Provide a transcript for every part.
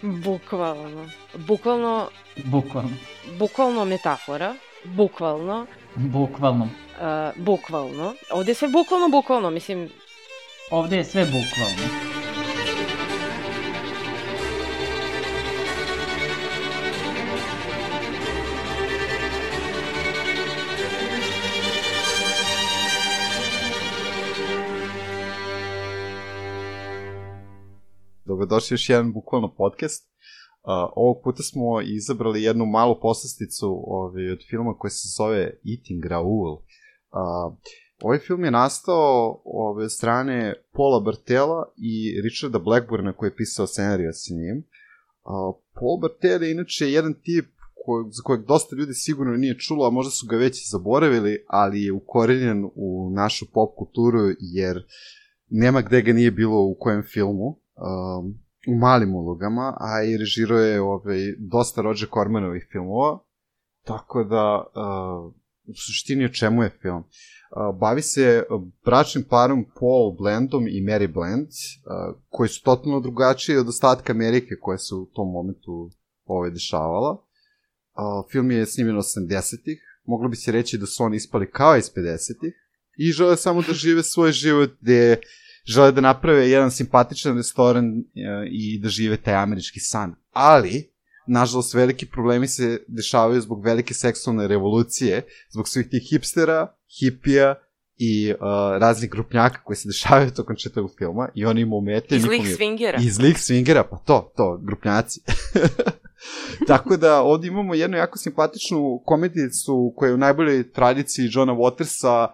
Bukvalno. Bukvalno metafora. Bukvalno. Ovdje je sve bukvalno, mislim... Ovdje je sve bukvalno. Dobrodošli još jedan bukvalno podcast. Ovog puta smo izabrali jednu malu poslasticu od filma koji se zove Eating Raoul. Ovaj film je nastao od strane Paula Bartela i Richarda Blackburna koji je pisao scenarija sa njim. Paul Bartel je inače jedan tip za kojeg dosta ljudi sigurno nije čulo, a možda su ga već zaboravili, ali je ukorenjen u našu pop kulturu jer nema gde ga nije bilo u kojem filmu. U malim ulogama, a i režirao je dosta Roger Cormanovih filmova, tako da u suštini o čemu je film. Bavi se bračnim parom Paul Blandom i Mary Bland, koji su totalno drugačiji od ostatka Amerike koja se u tom momentu dešavala. Film je snimljen 80-ih, moglo bi se reći da su oni ispali kao iz 50-ih i žele samo da žive svoj život gde žele da naprave jedan simpatičan restoran i da žive taj američki san. Ali, nažalost, veliki problemi se dešavaju zbog velike seksualne revolucije, zbog svih tih hipstera, hipija i raznih grupnjaka koji se dešavaju tokom četavog filma i oni im umete... I zlih svingera. I zlih svingera, pa to, grupnjaci. Tako da ovdje imamo jednu jako simpatičnu komedijicu koja je u najboljoj tradiciji Johna Watersa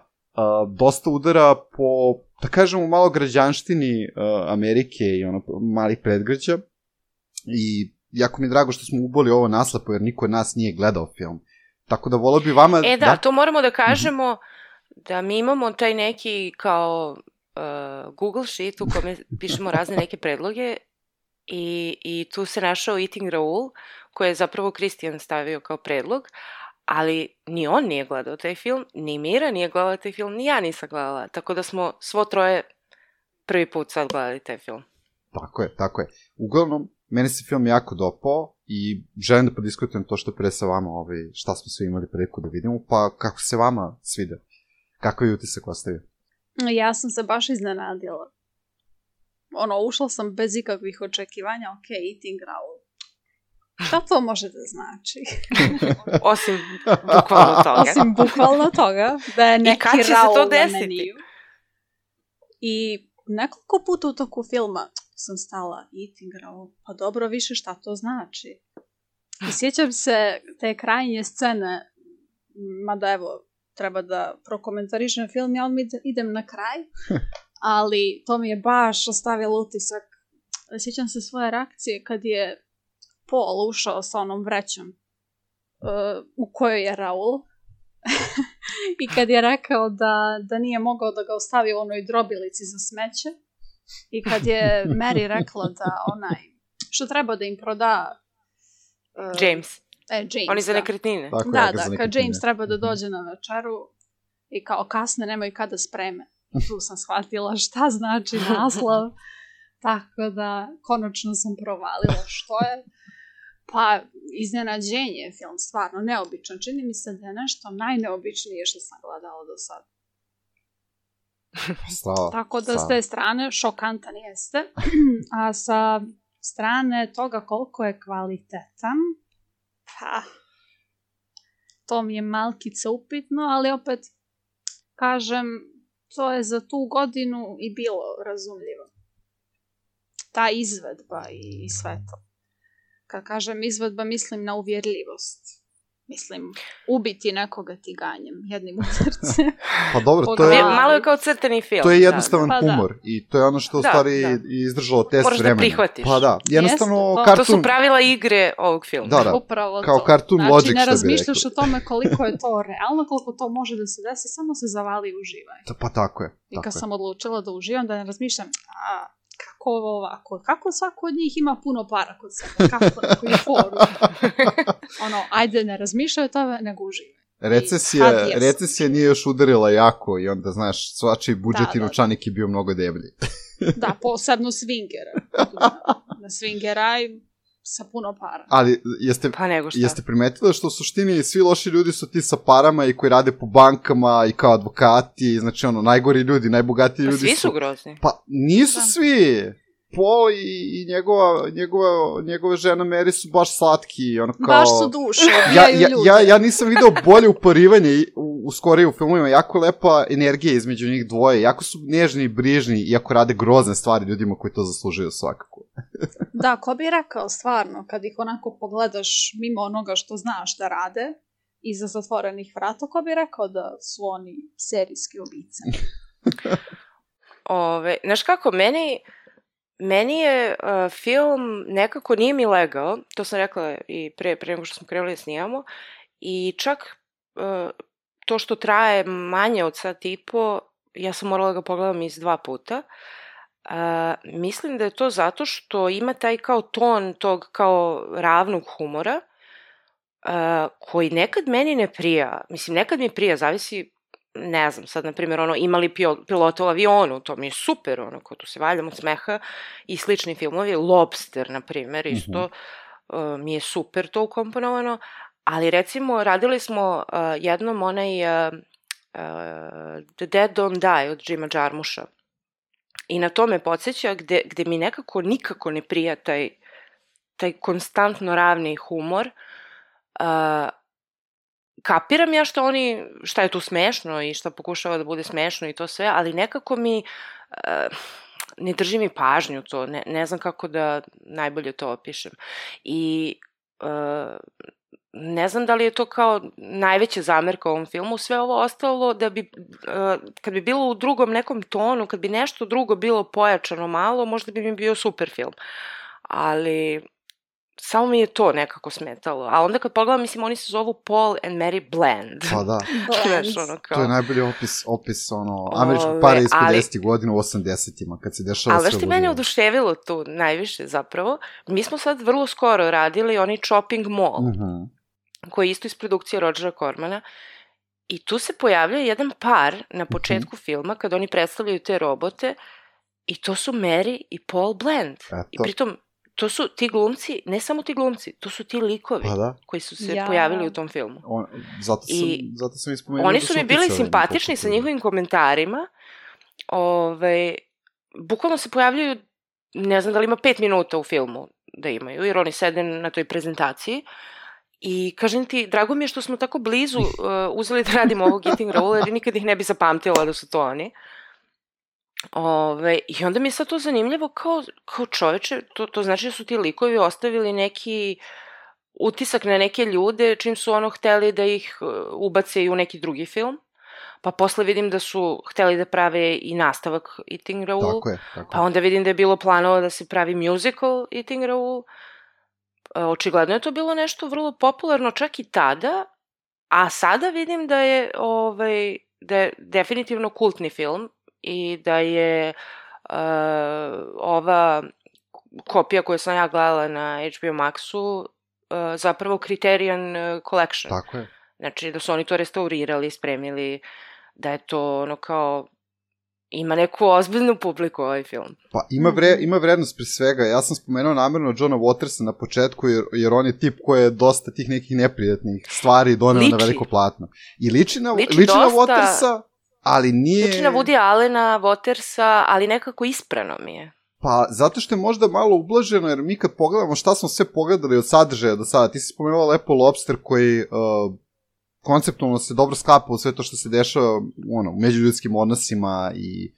dosta udara po, da kažemo, malo građanštini Amerike i malih predgrađa. I jako mi je drago što smo uboli ovo naslapo, jer niko od nas nije gledao film. Tako da volio bi vama... to moramo da kažemo da mi imamo taj neki kao Google sheet u kome pišemo razne neke predloge i tu se našao Eating Raoul, koji je zapravo Kristijan stavio kao predlog, ali ni on nije gledao taj film, ni Mira nije gledala taj film, ni ja nisam gledala. Tako da smo svo troje prvi put sad gledali taj film. Tako je. Uglavnom, meni se film jako dopao i želim da podiskutujem to što pre sa vama, šta smo svi imali priliku da vidimo, pa kako se vama svide? Kako je utisak ostavio? Ja sam se baš iznenadila. Ušla sam bez ikakvih očekivanja, Eating Raoul. Šta to može da znači? Osim bukvalno toga. Da je neki Raoul na meniju. I nekoliko puta u toku filma sam stala Eating Raoul. Pa dobro, više šta to znači? I sjećam se te krajnje scene, mada evo, treba da prokomentarišem film, ja idem na kraj, ali to mi je baš ostavilo utisak. Sjećam se svoje reakcije kad je Paul ušao sa onom vrećom u kojoj je Raoul i kad je rekao da nije mogao da ga ostavi u onoj drobilici za smeće i kad je Mary rekla da što treba da im proda James. Oni za nekretnine. Kad James treba da dođe na večeru i kao kasne nemaju kada spreme. Tu sam shvatila šta znači naslov. Tako da, konačno sam provalila što je. Pa, iznenađenje je film, stvarno neobičan. Čini mi se da je nešto najneobičnije što sam gledala do sad. Tako da s te strane šokantan jeste. A sa strane toga koliko je kvalitetan, pa, to mi je malkice upitno, ali opet, kažem, to je za tu godinu i bilo razumljivo. Ta izvedba i sve to. Kad kažem izvedba, mislim na uvjerljivost. Mislim, ubiti nekoga tiganjem, jednim u srce. Pa dobro, to je... Malo je kao crtani film. To je jednostavan humor i to je ono što u stvari izdržalo test vremena. Moraš da prihvatiš. Pa da, jednostavno kartun... To su pravila igre ovog filma. Da, upravo kao cartoon logic, što bi rekli. Znači, ne razmišljaš o tome koliko je to realno, koliko to može da se desi, samo se zavali i uživaj. Pa tako je. I kad sam odlučila da uživam, da ne razmišljam, kako ovo ovako, kako svako od njih ima puno para kod sebe, kako na koju foru. Ajde, ne razmišljaj o tome, nego uživaj. Recesija nije još udarila jako i onda, znaš, svačiji budžet i novčanik je bio mnogo deblji. Da, posebno swingera. Na swingera sa puno para. Ali jeste primetili što u suštini svi loši ljudi su ti sa parama i koji rade po bankama i kao advokati, znači najgori ljudi, najbogatiji ljudi su... Svi su grozni. Pa nisu svi. Paul i njegova žena Mary su baš slatki, ono kao... Baš su duše, ubijaju ljude. Ja nisam video bolje uporivanje u skorije u filmovima, jako lepa energija između njih dvoje, jako su nežni i brižni, iako rade grozne stvari ljudima koji to zaslužuju svakako. Da, ko bi rekao stvarno, kad ih onako pogledaš mimo onoga što znaš da rade, iza zatvorenih vrata, ko bi rekao da su oni serijski ubice? Znaš kako, Meni je film nekako nije mi legao, to sam rekla i pre nego što smo krenuli da snimamo, i čak to što traje manje od sat i po, ja sam morala ga pogledam iz 2 puta. Mislim da je to zato što ima taj kao ton tog kao ravnog humora, koji nekad meni ne prija. Mislim, nekad mi prija, zavisi, ne znam, sad, na primjer, imali pilota u avionu, to mi je super, ko tu se valjam od smeha, i slični filmovi, Lobster, na primjer, isto, mi je super to ukomponovano, ali recimo, radili smo jednom onaj The Dead Don't Die od Jima Jarmusha, i na to me podsjeća gde mi nekako nikako ne prija taj konstantno ravni humor. Kapiram ja šta je tu smešno i šta pokušava da bude smešno i to sve, ali nekako mi ne drži mi pažnju to, ne znam kako da najbolje to opišem. I ne znam da li je to kao najveća zamerka u ovom filmu, sve ovo ostalo da bi, kad bi bilo u drugom nekom tonu, kad bi nešto drugo bilo pojačano malo, možda bi mi bio super film. Ali samo mi je to nekako smetalo. A onda kad pogledam, mislim, oni se zovu Paul and Mary Bland. Pa da. To je najbolji opis američkog para iz 50. godina u 80-ima, kad se dešava sve. Ali što mene oduševilo tu najviše zapravo, mi smo sad vrlo skoro radili onaj Chopping Mall, koji je isto iz produkcije Rogera Cormana, i tu se pojavljaju jedan par na početku filma, kad oni predstavljaju te robote, i to su Mary i Paul Bland. I pritom, to su ti glumci, ne samo ti glumci, to su ti likovi koji su se pojavili u tom filmu. Zato sam ispomenuo. Oni su mi bili simpatični sa njihovim komentarima. Bukvalno se pojavljaju, ne znam da li ima 5 minuta u filmu da imaju, jer oni sede na toj prezentaciji. I kažem ti, drago mi je što smo tako blizu uzeli da radimo ovog Eating Raoul, jer nikad ih ne bi zapamtila da su to oni. I onda mi je sad to zanimljivo kao čoveče, to znači da su ti likovi ostavili neki utisak na neke ljude čim su hteli da ih ubace i u neki drugi film, pa posle vidim da su hteli da prave i nastavak Eating Raoul, tako je. Pa onda vidim da je bilo planova da se pravi musical Eating Raoul. Očigledno je to bilo nešto vrlo popularno čak i tada, a sada vidim da je definitivno kultni film i da je ova kopija koju sam ja gledala na HBO Maxu zapravo Criterion Collection. Tako je. Znači da su oni to restaurirali, spremili, da je to kao ima neku ozbiljnu publiku ovaj film. Pa ima vrednost pri svega. Ja sam spomenuo namjerno Johna Watersa na početku, jer on je tip koji je dosta tih nekih neprijatnih stvari doneo na veliko platno. I liči na Watersa, ali nije... Liči na Woody Allena, Watersa, ali nekako isprano mi je. Pa, zato što je možda malo ublaženo, jer mi kad pogledamo šta smo sve pogledali od sadržaja do sada, ti si spomenula lepo Lobster koji konceptualno se dobro sklapa u sve to što se dešava u međuljudskim odnosima i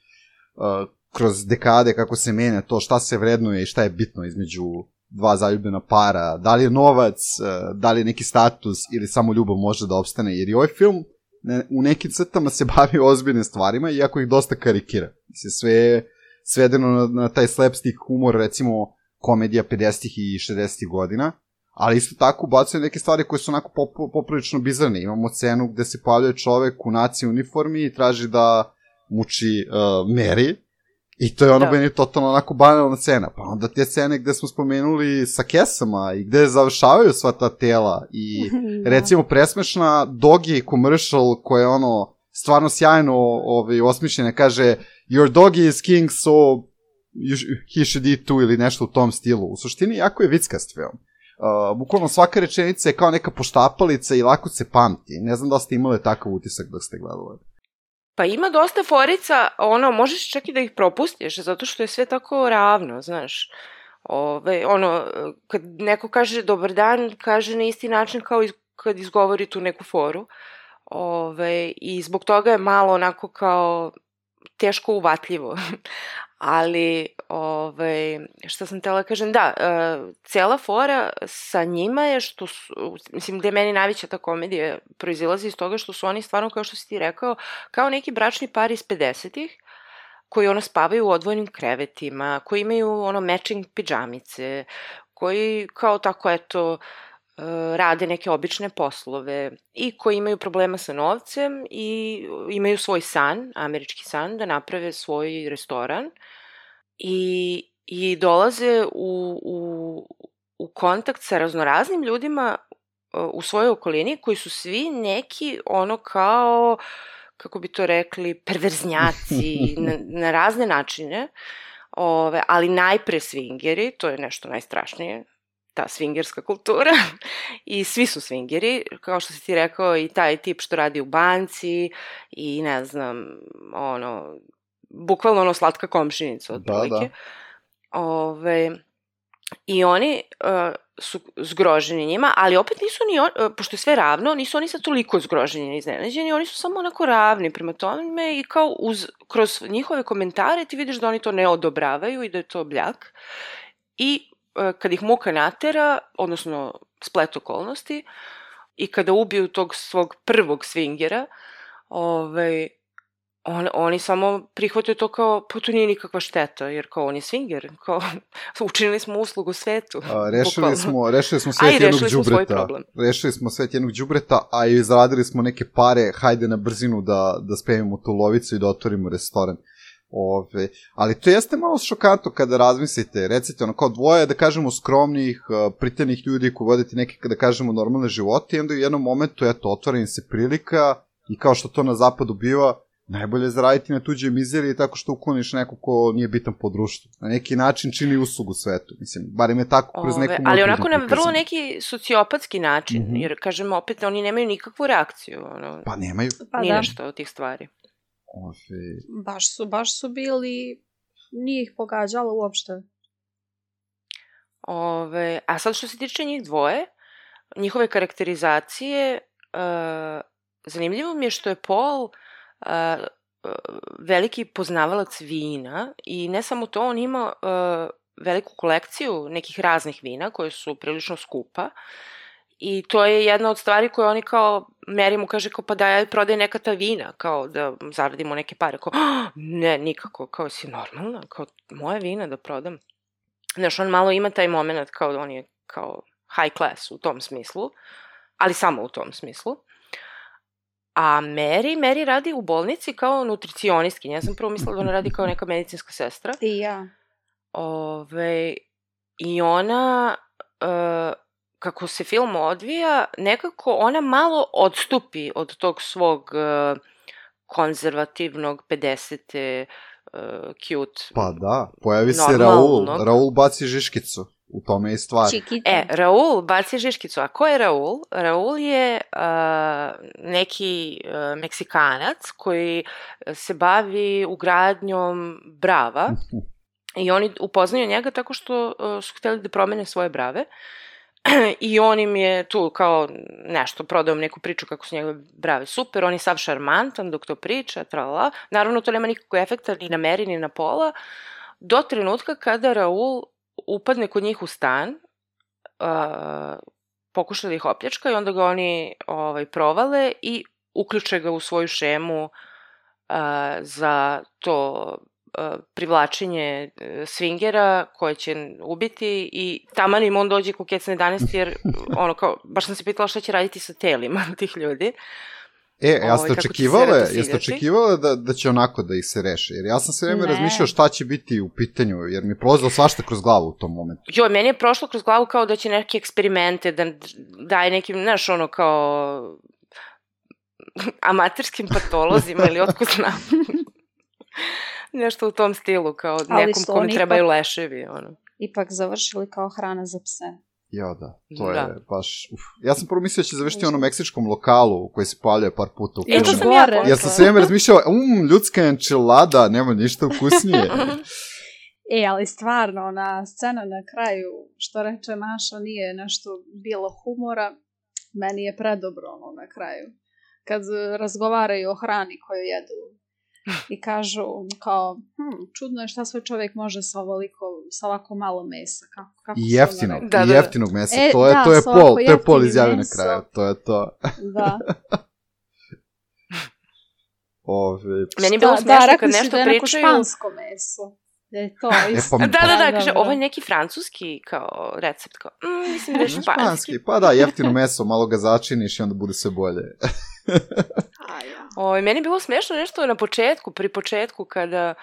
kroz dekade kako se menja to šta se vrednuje i šta je bitno između dva zaljubljena para, da li je novac, da li je neki status ili samo ljubav može da opstane, jer i ovaj film u nekim crtama se bavi ozbiljnim stvarima, iako ih dosta karikira. Sve je svedeno na taj slapstick humor, recimo komedija 50-ih i 60-ih godina, ali isto tako ubacuje neke stvari koje su onako poprilično bizarne. Imamo scenu gde se pojavljuje čovek u naci uniformi i traži da muči Mary, i to je meni totalno onako banalna scena. Pa onda te scene gde smo spomenuli sa kesama i gde završavaju sva ta tela i recimo presmešna Doggy commercial koja je stvarno sjajno osmišljena, kaže your doggy is king so he should eat too ili nešto u tom stilu. U suštini jako je vickast film. Bukvalno svaka rečenica je kao neka poštapalica i lako se pamti. Ne znam da ste imali takav utisak dok ste gledali. Pa ima dosta forica, možeš čak i da ih propustiš, zato što je sve tako ravno, znaš. Kad neko kaže dobar dan, kaže na isti način kao kad izgovori tu neku foru. I zbog toga je malo onako kao teško uvatljivo. Ali, šta sam htjela kažem, da, cela fora sa njima je što su, mislim, gde meni najveća ta komedija proizilazi iz toga što su oni stvarno, kao što si ti rekao, kao neki bračni par iz 50-ih, koji spavaju u odvojenim krevetima, koji imaju matching pidžamice, koji kao tako, eto, rade neke obične poslove i koji imaju problema sa novcem i imaju svoj san, američki san, da naprave svoj restoran i dolaze u kontakt sa raznoraznim ljudima u svojoj okolini koji su svi neki kao, kako bi to rekli, perverznjaci na razne načine, ali najpre swingeri, to je nešto najstrašnije, ta swingerska kultura i svi su swingeri, kao što si ti rekao, i taj tip što radi u banci i ne znam, bukvalno slatka komšinica otprilike. I oni su zgroženi njima, ali opet nisu pošto je sve ravno, nisu oni sad toliko zgroženi i iznenađeni, oni su samo onako ravni prema tome i kao kroz njihove komentare ti vidiš da oni to ne odobravaju i da je to bljak. I kad ih muka natera, odnosno splet okolnosti, i kada ubiju tog svog prvog swingera, oni samo prihvataju to kao, pa to nije nikakva šteta, jer kao on je swinger, kao učinili smo uslugu svetu. Rešili smo svet jednog đubreta. Rešili smo svet jednog đubreta, a i izradili smo neke pare, hajde na brzinu da spevimo tu lovicu i da otvorimo restoran. Ali to jeste malo šokantno kada razmislite, recite kao dvoje, da kažemo, skromnih, pritanih ljudi koji vodite neke, da kažemo, normalne živote i onda u jednom momentu, eto, otvara im se prilika i kao što to na zapadu biva, najbolje je zaraditi na tuđe mizerije tako što ukloniš neko ko nije bitan po društvu. Na neki način čini uslugu svetu, mislim, barem je tako kroz neku... Ali onako na vrlo neki sociopatski način, jer, kažemo, opet, oni nemaju nikakvu reakciju. Pa nemaju. Nije nešto od tih stvari. Baš su bili, nije ih pogađalo uopšte. A sad što se tiče njih dvoje, njihove karakterizacije, zanimljivo mi je što je Paul veliki poznavalac vina i ne samo to, on ima veliku kolekciju nekih raznih vina koje su prilično skupa. I to je jedna od stvari koje oni kao, Mary mu kaže kao, pa daj prodaj neka ta vina, kao da zaradimo neke pare, kao, ne, nikako, kao si normalna, kao moje vina da prodam. Znaš, on malo ima taj moment kao on je kao high class u tom smislu, ali samo u tom smislu. A Mary radi u bolnici kao nutricionistkinja, ja sam prvo mislila da ona radi kao neka medicinska sestra. I ja. I ona... kako se film odvija, nekako ona malo odstupi od tog svog konzervativnog 50. Cute. Pa da, pojavi se Raul baci žiškicu, u tome je stvar. Raul baci žiškicu, a ko je Raul? Raul je neki Meksikanac koji se bavi ugradnjom brava i oni upoznaju njega tako što su htjeli da promene svoje brave. I on im je tu kao nešto, prodao neku priču kako su njegove brave super, on je sav šarmantan dok to priča, tralala. Naravno, to nema nikakvog efekta ni na Mary, ni na Paula, do trenutka kada Raul upadne kod njih u stan, pokuša da ih opljačka i onda ga oni provale i uključe ga u svoju šemu za to privlačenje swingera koje će ubiti i taman im on dođe ko kec na 11 jer baš sam se pitala šta će raditi sa telima tih ljudi. Jeste očekivala da će onako da ih se reše? Jer ja sam sve vreme razmišljao šta će biti u pitanju, jer mi je prolazilo svašta kroz glavu u tom momentu. Meni je prošlo kroz glavu kao da će neke eksperimente da daje nekim, znaš, kao amaterskim patolozima ili otko znam. Nešto u tom stilu, kao Ali nekom su kome oni trebaju leševi, ono. Ipak završili kao hrana za pse. Ja, da, to je baš... Ja sam prvo mislio da će završiti ono meksičkom lokalu koji se pojavljuje par puta u filmu. To sam ja pomislila. Ja sam sve vreme razmišljao, ljudska enčilada, nema ništa ukusnije. Ali stvarno, ona scena na kraju, što reče Maša, nije nešto bilo humora, meni je predobro ono na kraju. Kad razgovaraju o hrani koju jedu i kažu kao, čudno je šta sve čovjek može sa ovako malo mesa. Kako I jeftinog mesa. To je Pol izjavio na kraju. To je to. Da. Meni je bilo smiješno kad nešto pričaju... Da, neko špansko meso. Je to isto. Da, kaže, ovo je neki francuski kao recept, kao, mislim da je španski. Pa da, jeftino meso, malo ga začiniš i onda bude sve bolje. Meni je bilo smiješno nešto pri početku kada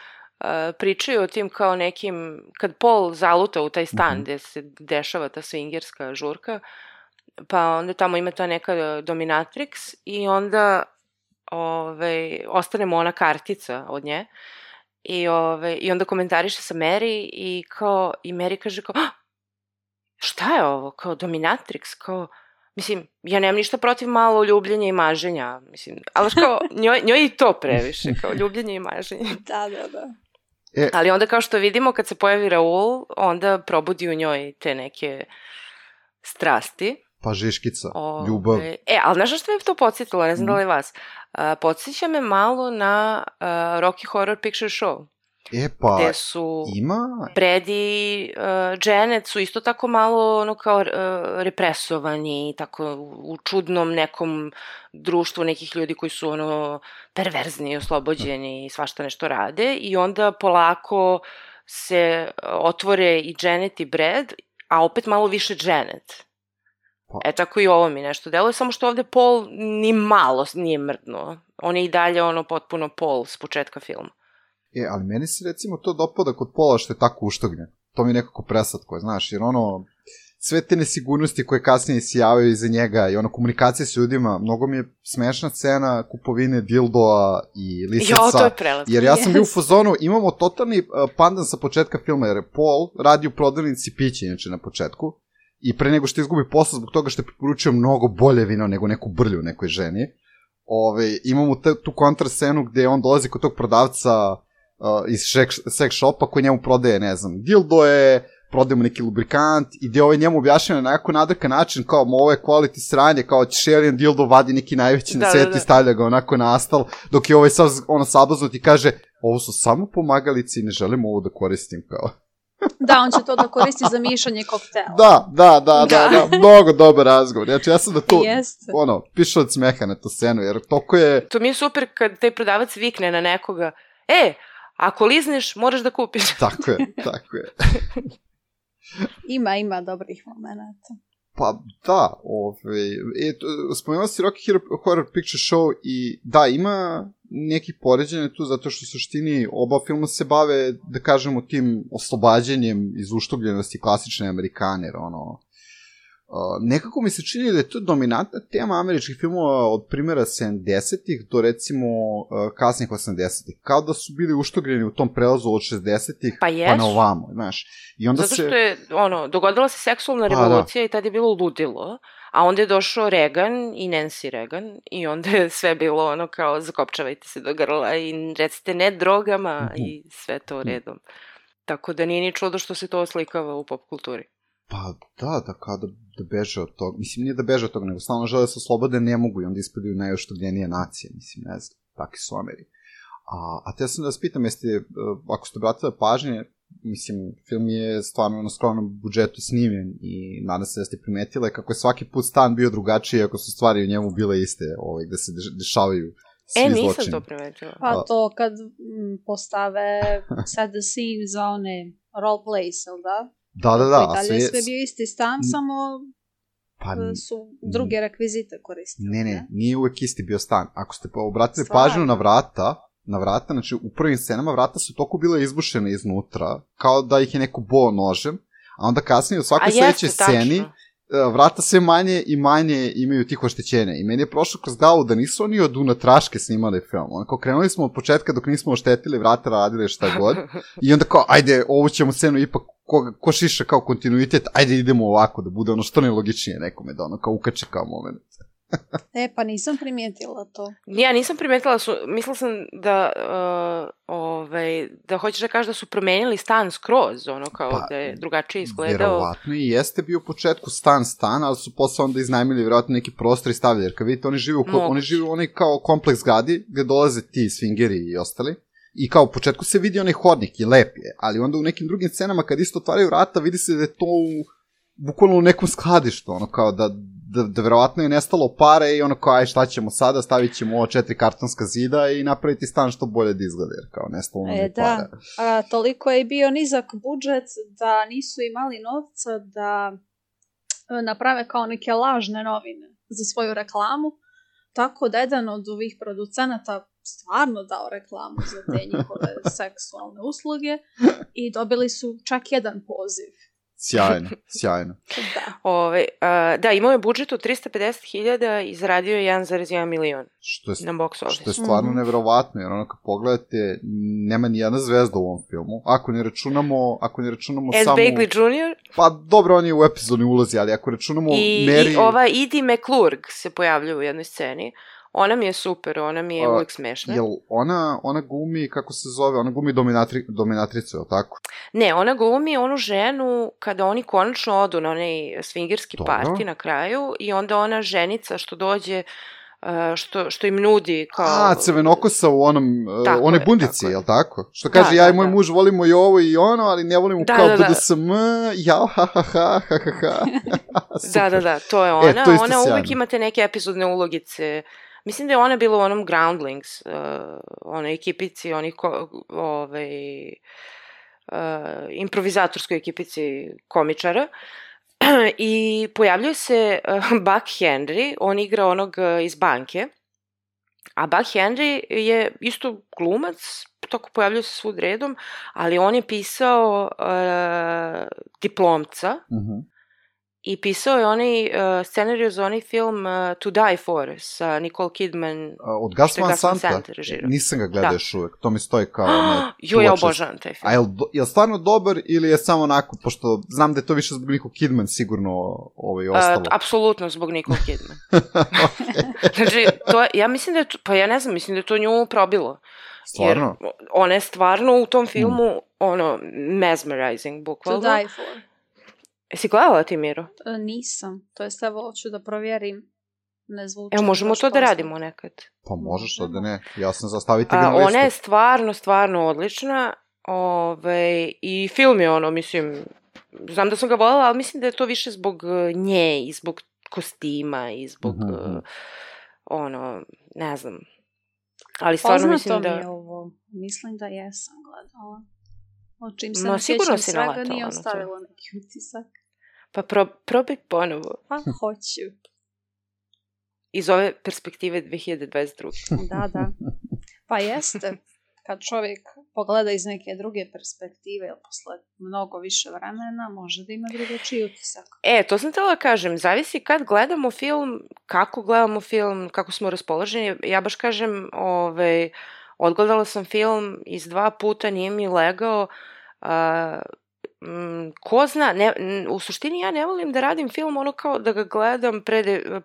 pričaju o tim kao nekim, kad Paul zaluta u taj stan gde se dešava ta swingerska žurka, pa onda tamo ima ta neka dominatrix i onda ostane mu ona kartica od nje. I onda komentariše sa Mary i Mary kaže kao, šta je ovo, kao dominatrix, kao, mislim, ja nemam ništa protiv malo ljubljenja i maženja, mislim, ali kao, njoj i to previše, kao ljubljenje i maženje. Da. Ali onda kao što vidimo, kad se pojavi Raul, onda probudi u njoj te neke strasti. Pa žiškica, ljubav. Ali znaš što me to podsjetilo, ne znam da li vas, podsjeća me malo na Rocky Horror Picture Show. Gde su Brad i Janet su isto tako malo ono kao represovani, tako u čudnom nekom društvu nekih ljudi koji su ono perverzni, oslobođeni i svašta nešto rade i onda polako se otvore i Janet i Brad, a opet malo više Janet. Tako i ovo mi nešto deluje, samo što ovde Paul ni malo nije mrdnuo. On je i dalje ono potpuno Paul s početka filma. Ali meni se recimo to dopada kod Paula što je tako uštognjen. To mi je nekako preslatko, znaš, jer ono, sve te nesigurnosti koje kasnije isijavaju iza njega i ono, komunikacije s ljudima, mnogo mi je smešna scena kupovine dildoa i lisaca. To je prelatko. Jer ja sam bio u fazonu, imamo totalni pandan sa početka filma, jer Paul radi u prodavnici pića, inače na početku. I pre nego što izgubi posao zbog toga što je preporučio mnogo bolje vino nego neku brlju nekoj ženi. Imamo tu kontrascenu gde on dolazi kod tog prodavca iz sex shopa koji njemu prodaje, ne znam, dildoje, prodaje mu neki lubrikant i gde njemu objašnjava na jako nadrkan način kao ovo je quality sranje, kao će alien dildo vadi neki najveći na svijetu i stavlja ga onako na astal, dok je sav sablazno ti kaže ovo su samo pomagalici i ne želim ovo da koristim kao. Da, on će to da koristi za mišanje koktela. Da, mnogo dobar razgovor. Znači, ja sam da tu, pišu od smeha na tu scenu, jer toliko je... To mi je super kad taj prodavac vikne na nekoga, ako lizneš, moraš da kupiš. Tako je. Ima dobrih momenata. Pa da, spomenula si Rocky Horror Picture Show i da, ima nekih poređenja tu, zato što u suštini oba filma se bave, da kažemo, tim oslobađanjem iz uštubljenosti klasične Amerikaner, nekako mi se čini da je to dominantna tema američkih filmova od primjera 70-ih do recimo kasnih 80-ih. Kao da su bili uštogljeni u tom prelazu od 60-ih pa na ovamo, znaš. I onda zato što je, dogodila se seksualna revolucija i tad je bilo ludilo, a onda je došao Reagan i Nancy Reagan i onda je sve bilo kao zakopčavajte se do grla i recite ne drogama i sve to redom. Tako da nije ni čudo što se to oslikava u pop kulturi. Pa da kao da beže od toga, mislim nije da beže od toga, nego stalno žele se oslobode, ne mogu i onda ispadaju najoštogljenije nacije, mislim, ne znam, takvi su Ameri. A te sam da vas pitam, ako ste obratili pažnje, mislim, film je stvarno na skromnom budžetu snimljen i nadam se da ste primetile kako je svaki put stan bio drugačiji ako su stvari u njemu bile iste, gde se dešavaju svi zločini. Nisam to primetila. Pa to kad postave set the scene za one role plays, ili da? Da. Sve bio isti stan, samo su druge rekvizite koristili. Ne, nije uvek isti bio stan. Ako ste obratili pažnju na vrata, znači u prvim scenama vrata su toliko bile izbušene iznutra, kao da ih je neko bo nožem, a onda kasnije u svakoj sledećoj sceni vrata sve manje i manje imaju tih oštećenja. I meni je prošlo kroz glavu da nisu oni od unatraške snimali film. Onako, krenuli smo od početka dok nismo oštetili, vrata radili šta god. I onda kao, ajde, ovu ćemo scenu ipak, ko šiša kao kontinuitet, ajde idemo ovako, da bude ono što najlogičnije nekome, da ono kao ukače kao moment. Pa nisam primijetila to. Ja nisam primijetila, mislila sam da da hoćeš da kažeš da su promenili stan skroz, ono kao da je drugačije izgledao. Verovatno i jeste bio u početku stan, ali su posle onda iznajmili verovatno neki prostor i stavljali, jer kad vidite, oni žive u onaj kao kompleks zgradi gde dolaze ti swingeri i ostali. I kao u početku se vidi onaj hodnik i lep je, ali onda u nekim drugim scenama kad isto otvaraju vrata vidi se da je to bukvalno u nekom skladištu, ono kao da verovatno je nestalo pare i ono kao aj šta ćemo sada, stavit ćemo ovo 4 kartonska zida i napraviti stan što bolje da izgleda, jer kao nestalo nam je pare. Da, toliko je bio nizak budžet da nisu imali novca da naprave kao neke lažne novine za svoju reklamu, tako da jedan od ovih producenata stvarno dao reklamu za te njihove seksualne usluge i dobili su čak jedan poziv. Sjajno. Da, imao je budžet od 350.000 i zaradio je 1,1 milion na box office. Što je stvarno neverovatno, jer ono kad pogledate, nema ni jedna zvezda u ovom filmu. Ako ne računamo Ed samo... Begley Jr.? Pa dobro, on je u epizodnoj ulozi, ali ako računamo Mary... I ova Edie McClurg se pojavljuje u jednoj sceni. Ona mi je super, ona mi je uvijek smešna. Jel ona glumi, kako se zove, ona glumi dominatricu, je li tako? Ne, ona glumi onu ženu kada oni konačno odu na onaj swingerski party na kraju i onda ona ženica što dođe, što im nudi kao... Crvenokosa u onoj bundici, je li tako? Što kaže, ja i moj muž volimo i ovo i ono, ali ne volimo kao BDSM, jao, ha. Da, to je ona. Ona uvijek imate neke epizodne ulogice. Mislim da je ona bila u onom Groundlings, onoj ekipici, improvizatorskoj ekipici komičara. I pojavljuje se Buck Henry, on igra onog iz banke, a Buck Henry je isto glumac, tako pojavljuje se svud redom, ali on je pisao Diplomca, i pisao je onaj scenariju za onaj film To Die For sa Nicole Kidman. Od Gus Van Santa? Nisam ga gledao još uvek. To mi stoji kao... Ja obožavam taj film. A je li stvarno dobar ili je samo onako, pošto znam da je to više zbog Nicole Kidman sigurno ostalo? Apsolutno zbog Nicole Kidman. Znači, ja mislim da je to, pa ja ne znam, mislim da je to nju probilo. Stvarno? Jer ona je stvarno u tom filmu, mesmerizing, bukvalno. To Die For. Jesi gledala ti, Miro? Nisam. To jest, evo, hoću da provjerim. Ne zvuči. Evo, možemo to da radimo nekad. Pa možeš, da ne. Ja sam zastaviti ga na listu. Ona je stvarno odlična. I film je mislim, znam da sam ga voljela, ali mislim da je to više zbog nje i zbog kostima i zbog, ne znam. Ali stvarno mislim da... Poznato mi je ovo. Mislim da jesam gledala. O čim se ne sjećam svega, nije ostavilo neki utisak. Pa probaj ponovo. Pa hoću. Iz ove perspektive 2022. Da. Pa jeste. Kad čovjek pogleda iz neke druge perspektive, posle mnogo više vremena, može da ima drugačiji utisak. To sam htjela da kažem. Zavisi kad gledamo film, kako gledamo film, kako smo raspoloženi. Ja baš kažem, odgledala sam film iz 2 puta, nije mi legao. Ko zna, u suštini ja ne volim da radim film kao da ga gledam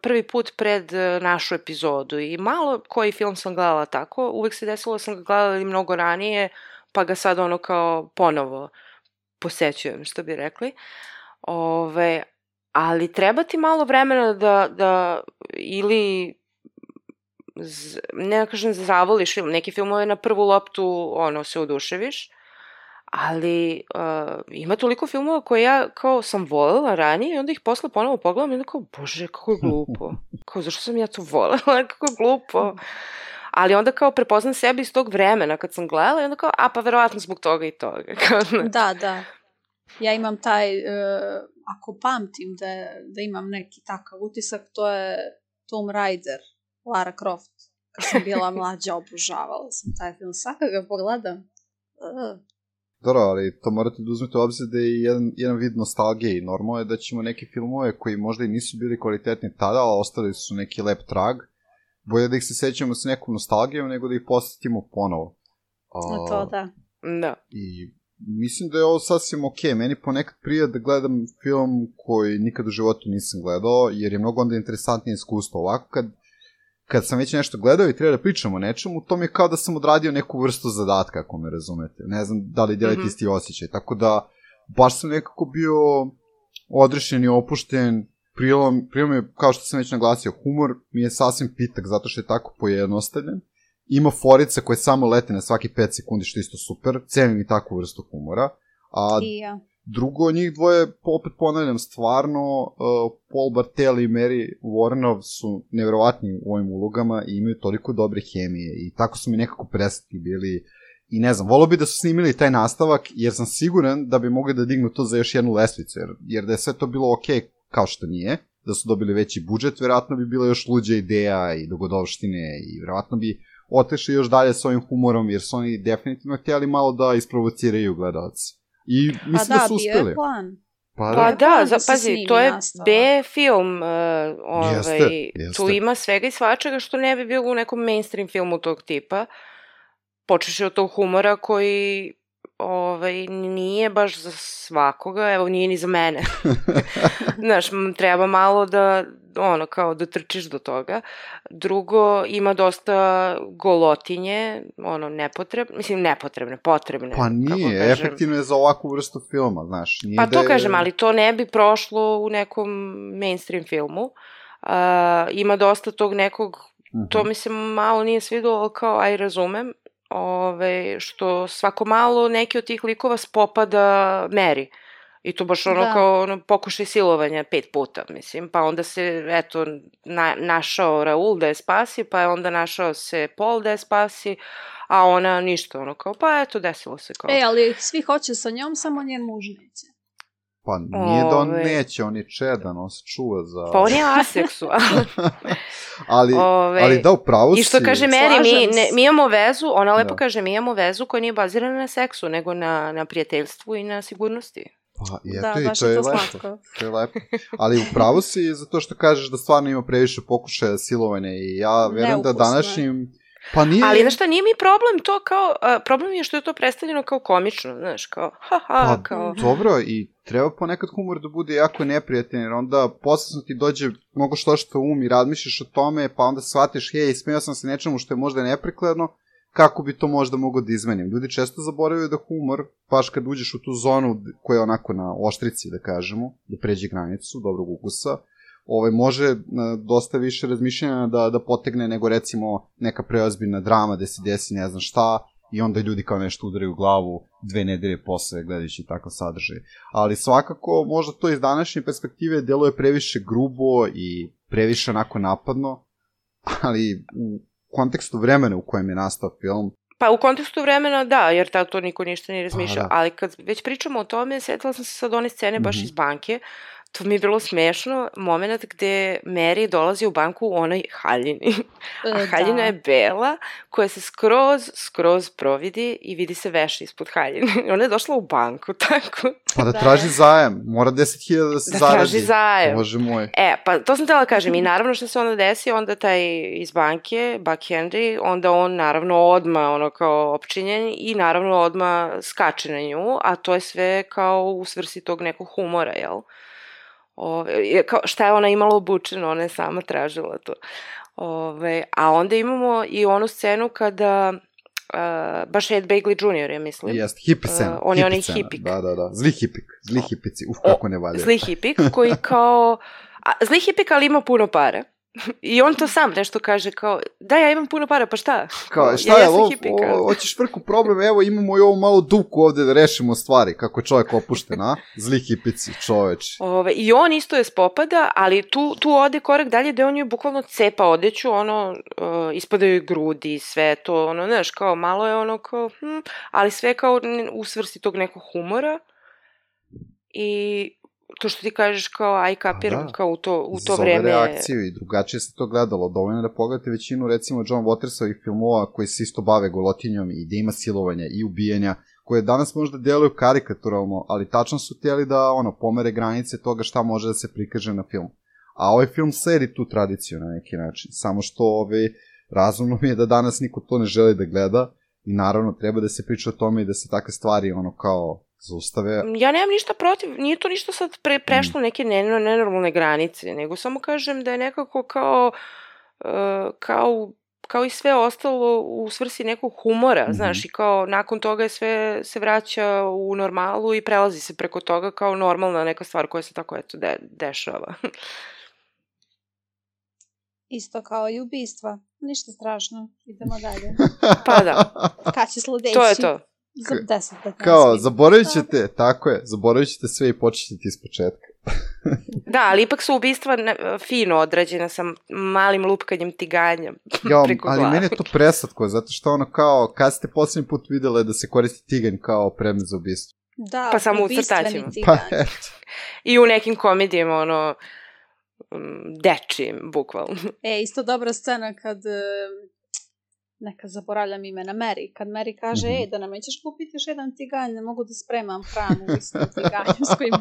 prvi put pred našu epizodu i malo koji film sam gledala tako, uvek se desilo da sam ga gledala mnogo ranije, pa ga sad kao ponovo posećujem, što bi rekli. Ali treba ti malo vremena da ili ne kažem zavoliš film, neki filmove na prvu loptu se oduševiš, ali ima toliko filmova koje ja kao sam voljela ranije i onda ih posle ponovo pogledam i onda kao, bože, kako je glupo. Kao, zašto sam ja to voljela? Kako je glupo. Ali onda kao prepoznam sebe iz tog vremena kad sam gledala i onda kao, pa verovatno zbog toga i toga. Da. Ja imam taj, ako pamtim da imam neki takav utisak, to je Tomb Raider, Lara Croft. Kad sam bila mlađa, obožavala sam taj film. Svaka ga pogledam. Dobro, ali to morate da uzmete u obzir da je jedan vid nostalgije i normalno je da ćemo neke filmove koji možda i nisu bili kvalitetni tada, ali ostali su neki lep trag, bolje da ih se sećamo sa nekom nostalgijom nego da ih posjetimo ponovo. To da. Da. I mislim da je ovo sasvim okej. Meni ponekad prija da gledam film koji nikad u životu nisam gledao, jer je mnogo onda interesantnije iskustvo. Ovako, kad sam već nešto gledao i treba da pričam o nečemu, to mi je kao da sam odradio neku vrstu zadatka, ako me razumete. Ne znam da li delite isti osjećaj. Tako da, baš sam nekako bio odrešen i opušten. Prijelo je, kao što sam već naglasio, humor mi je sasvim pitak, zato što je tako pojednostavljen. Ima forica koje samo lete na svaki 5 sekundi, što je isto super. Cenim i takvu vrstu humora. A drugo, njih dvoje, opet ponavljam, stvarno, Paul Bartel i Mary Woronov su nevjerovatni u ovim ulogama i imaju toliko dobre hemije i tako su mi nekako presretni bili. I ne znam, volio bi da su snimili taj nastavak, jer sam siguran da bi mogli da dignu to za još jednu lestvicu, jer da je sve to bilo okej, kao što nije, da su dobili veći budžet, verovatno bi bila još luđa ideja i dogodovštine i verovatno bi otešli još dalje s ovim humorom, jer su oni definitivno htjeli malo da isprovociraju gledalce. I mislim da su uspeli. Bio je plan. Pa pazi, to je B film, jeste. Tu ima svega i svačega što ne bi bilo u nekom mainstream filmu tog tipa. Počeš od tog humora koji nije baš za svakoga, evo nije ni za mene. Znaš, treba malo da trčiš do toga. Drugo, ima dosta golotinje, nepotrebne, potrebne. Pa nije, efektivno je za ovakvu vrstu filma, znaš. Pa to kažem, ali to ne bi prošlo u nekom mainstream filmu. Ima dosta tog nekog, to mi se malo nije svidelo, ali kao, aj razumem, što svako malo neki od tih likova spopada Mary. I to baš kao pokušaj silovanja 5 puta, mislim. Pa onda se, našao Raul da je spasi, pa je onda našao se Paul da je spasi, a ona ništa, pa desilo se kao. Ali svi hoće sa njom, samo njen muž neće. Pa nije da on neće, on je čedan, on se čuva za... Pa on je aseksualan. ali da, upravo si... I što kaže Mary, mi imamo vezu, ona lepo kaže, mi imamo vezu koja nije bazirana na seksu, nego na prijateljstvu i na sigurnosti. Pa, i to je lepo. To je lepo. Ali upravo si zato što kažeš da stvarno ima previše pokušaja silovanja i ja verujem da današnjim... Pa nije... Ali, znaš šta, nije mi problem to kao... problem je što je to predstavljeno kao komično, znaš, kao... kao... Dobro, i treba ponekad humor da bude jako neprijatan, jer onda posle ti dođe mnogo što i razmišljaš o tome, pa onda shvatiš, smeo sam se nečemu što je možda neprikladno, kako bi to možda mogo da izmenim. Ljudi često zaboravaju da humor, baš kad uđeš u tu zonu koja je onako na oštrici, da kažemo, da pređe granicu dobrog ukusa, može dosta više razmišljanja da potegne nego recimo neka preozbiljna drama gde se desi ne znam šta i onda ljudi kao nešto udaraju u glavu 2 nedelje posle gledajući takav sadržaj. Ali svakako možda to iz današnje perspektive deluje previše grubo i previše onako napadno, ali u kontekstu vremena u kojem je nastao film... Pa u kontekstu vremena da, jer tada to niko ništa nije razmišljao, ali kad već pričamo o tome, sjetila sam se sad one scene baš iz banke. To mi je bilo smešno, moment gde Mary dolazi u banku u onoj haljini. A haljina je bela, koja se skroz providi i vidi se veša ispod haljine. Ona je došla u banku, tako. Pa da traži zajem, mora 10.000 da se zaradi. Da traži zajem. Bože moj. Pa to sam htjela kažem i naravno što se onda desi, onda taj iz banke, Buck Henry, onda on naravno odmah kao opčinjen i naravno odmah skače na nju, a to je sve kao u svrsi tog nekog humora, jel? Šta je ona imala obučeno, ona je sama tražila to. A onda imamo i onu scenu kada baš Ed Begley Jr. ja mislim. Jeste, hippie scena. On je onaj hipik. Da. Zli hipici, kako ne valja. Zli hipik koji kao... Zli hipik, ali ima puno para. I on to sam nešto kaže kao, da ja imam puno para, pa šta? Kao, šta je, hoćeš vrku problem, evo imamo i ovu malu duku ovde da rešimo stvari, kako je čovjek opušten, a? Zli hipici, čoveč. I on isto je spopada, ali tu ode korak dalje gde on je bukvalno cepa odeću, ispadaju grudi, sve to, znaš, kao malo je kao, ali sve kao u svrsi tog nekog humora i... To što ti kažeš kao, aj kapiram, kao u to vreme... Zove reakciju i drugačije se to gledalo. Dovoljno da pogledate većinu, recimo, John Watersovih filmova koji se isto bave golotinjom i da ima silovanja i ubijanja, koje danas možda djeluju karikaturalno, ali tačno su htjeli da pomere granice toga šta može da se prikaže na film. A ovaj film sedi tu tradiciju na neki način, samo što razumno mi je da danas niko to ne želi da gleda i naravno treba da se priča o tome i da se takve stvari kao zaustave. Ja nemam ništa protiv, nije to ništa sad prešlo neke nenormalne granice, nego samo kažem da je nekako kao i sve ostalo u svrsi nekog humora, znaš, i kao nakon toga sve se vraća u normalu i prelazi se preko toga kao normalna neka stvar koja se tako dešava. Isto kao i ubistva. Ništa strašno. Idemo dalje. Pa da. Kad će sledeći? To je to. Za 10-15 Kao, zaboravit ćete, tako je, zaboravit ćete sve i početi iz početka. Da, ali ipak su ubistva fino odrađena sa malim lupkanjem tiganja preko glave. Ali meni je to preslatko, zato što kao, kad ste posljednji put vidjeli da se koristi tiganj kao predmet za ubistvo? Da, pa samo u crtačima. Pa eto. I u nekim komedijama, dečijim, bukvalno. Isto dobra scena kad... Neka zaboravljam imena Mary. Kad Mary kaže, da nam nećeš kupiti još jedan tiganj, ne mogu da spremam hranu u istom tiganju s kojim...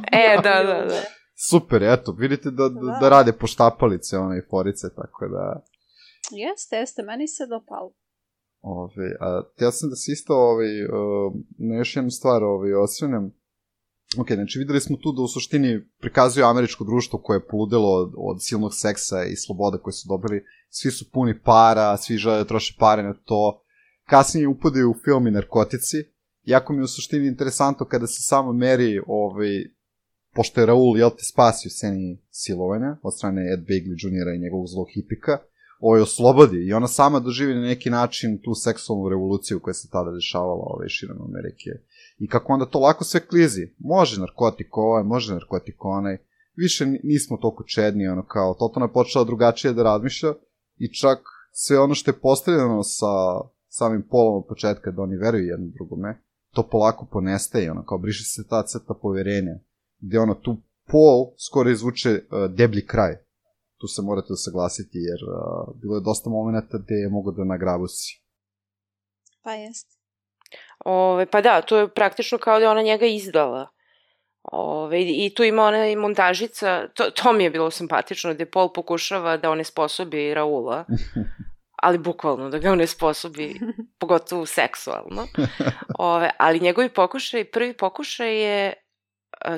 Da. Super, eto, vidite da rade poštapalice, i forice, tako da... Jeste, meni se dopalo. Htio sam da se isto na još jednu stvar osvrnem. Ok, znači videli smo tu da u suštini prikazuju američko društvo koje je poludelo od silnog seksa i sloboda koje su dobili. Svi su puni para, svi žele da troše pare na to. Kasnije upadaju u film i narkotici. Jako mi je u suštini interesantno kada se samo meri, pošto je Raul, spasio sceni silovanja od strane Ed Begley Jr. i njegovog zlog hipika, oslobodi i ona sama doživi na neki način tu seksualnu revoluciju koja se tada dešavala širom Amerike. I kako onda to lako sve klizi. Može narkotik može narkotik onaj. Više nismo toliko čedni, kao totalno je počela drugačije da razmišlja i čak sve ono što je postavljeno sa samim Paulom od početka da oni veruju jedno drugome, to polako ponestaje, kao briše se ta crta poverenja, gde tu Paul skoro izvuče deblji kraj. Tu se morate usaglasiti, jer bilo je dosta momenta gde je mogo da nagrabusi. Pa jest. Pa da, to je praktično kao da je ona njega izdala. I tu ima ona montažica, to mi je bilo simpatično, gde Paul pokušava da onesposobi Raula, ali bukvalno da ga onesposobi, pogotovo seksualno. Ali njegovi prvi pokušaj je,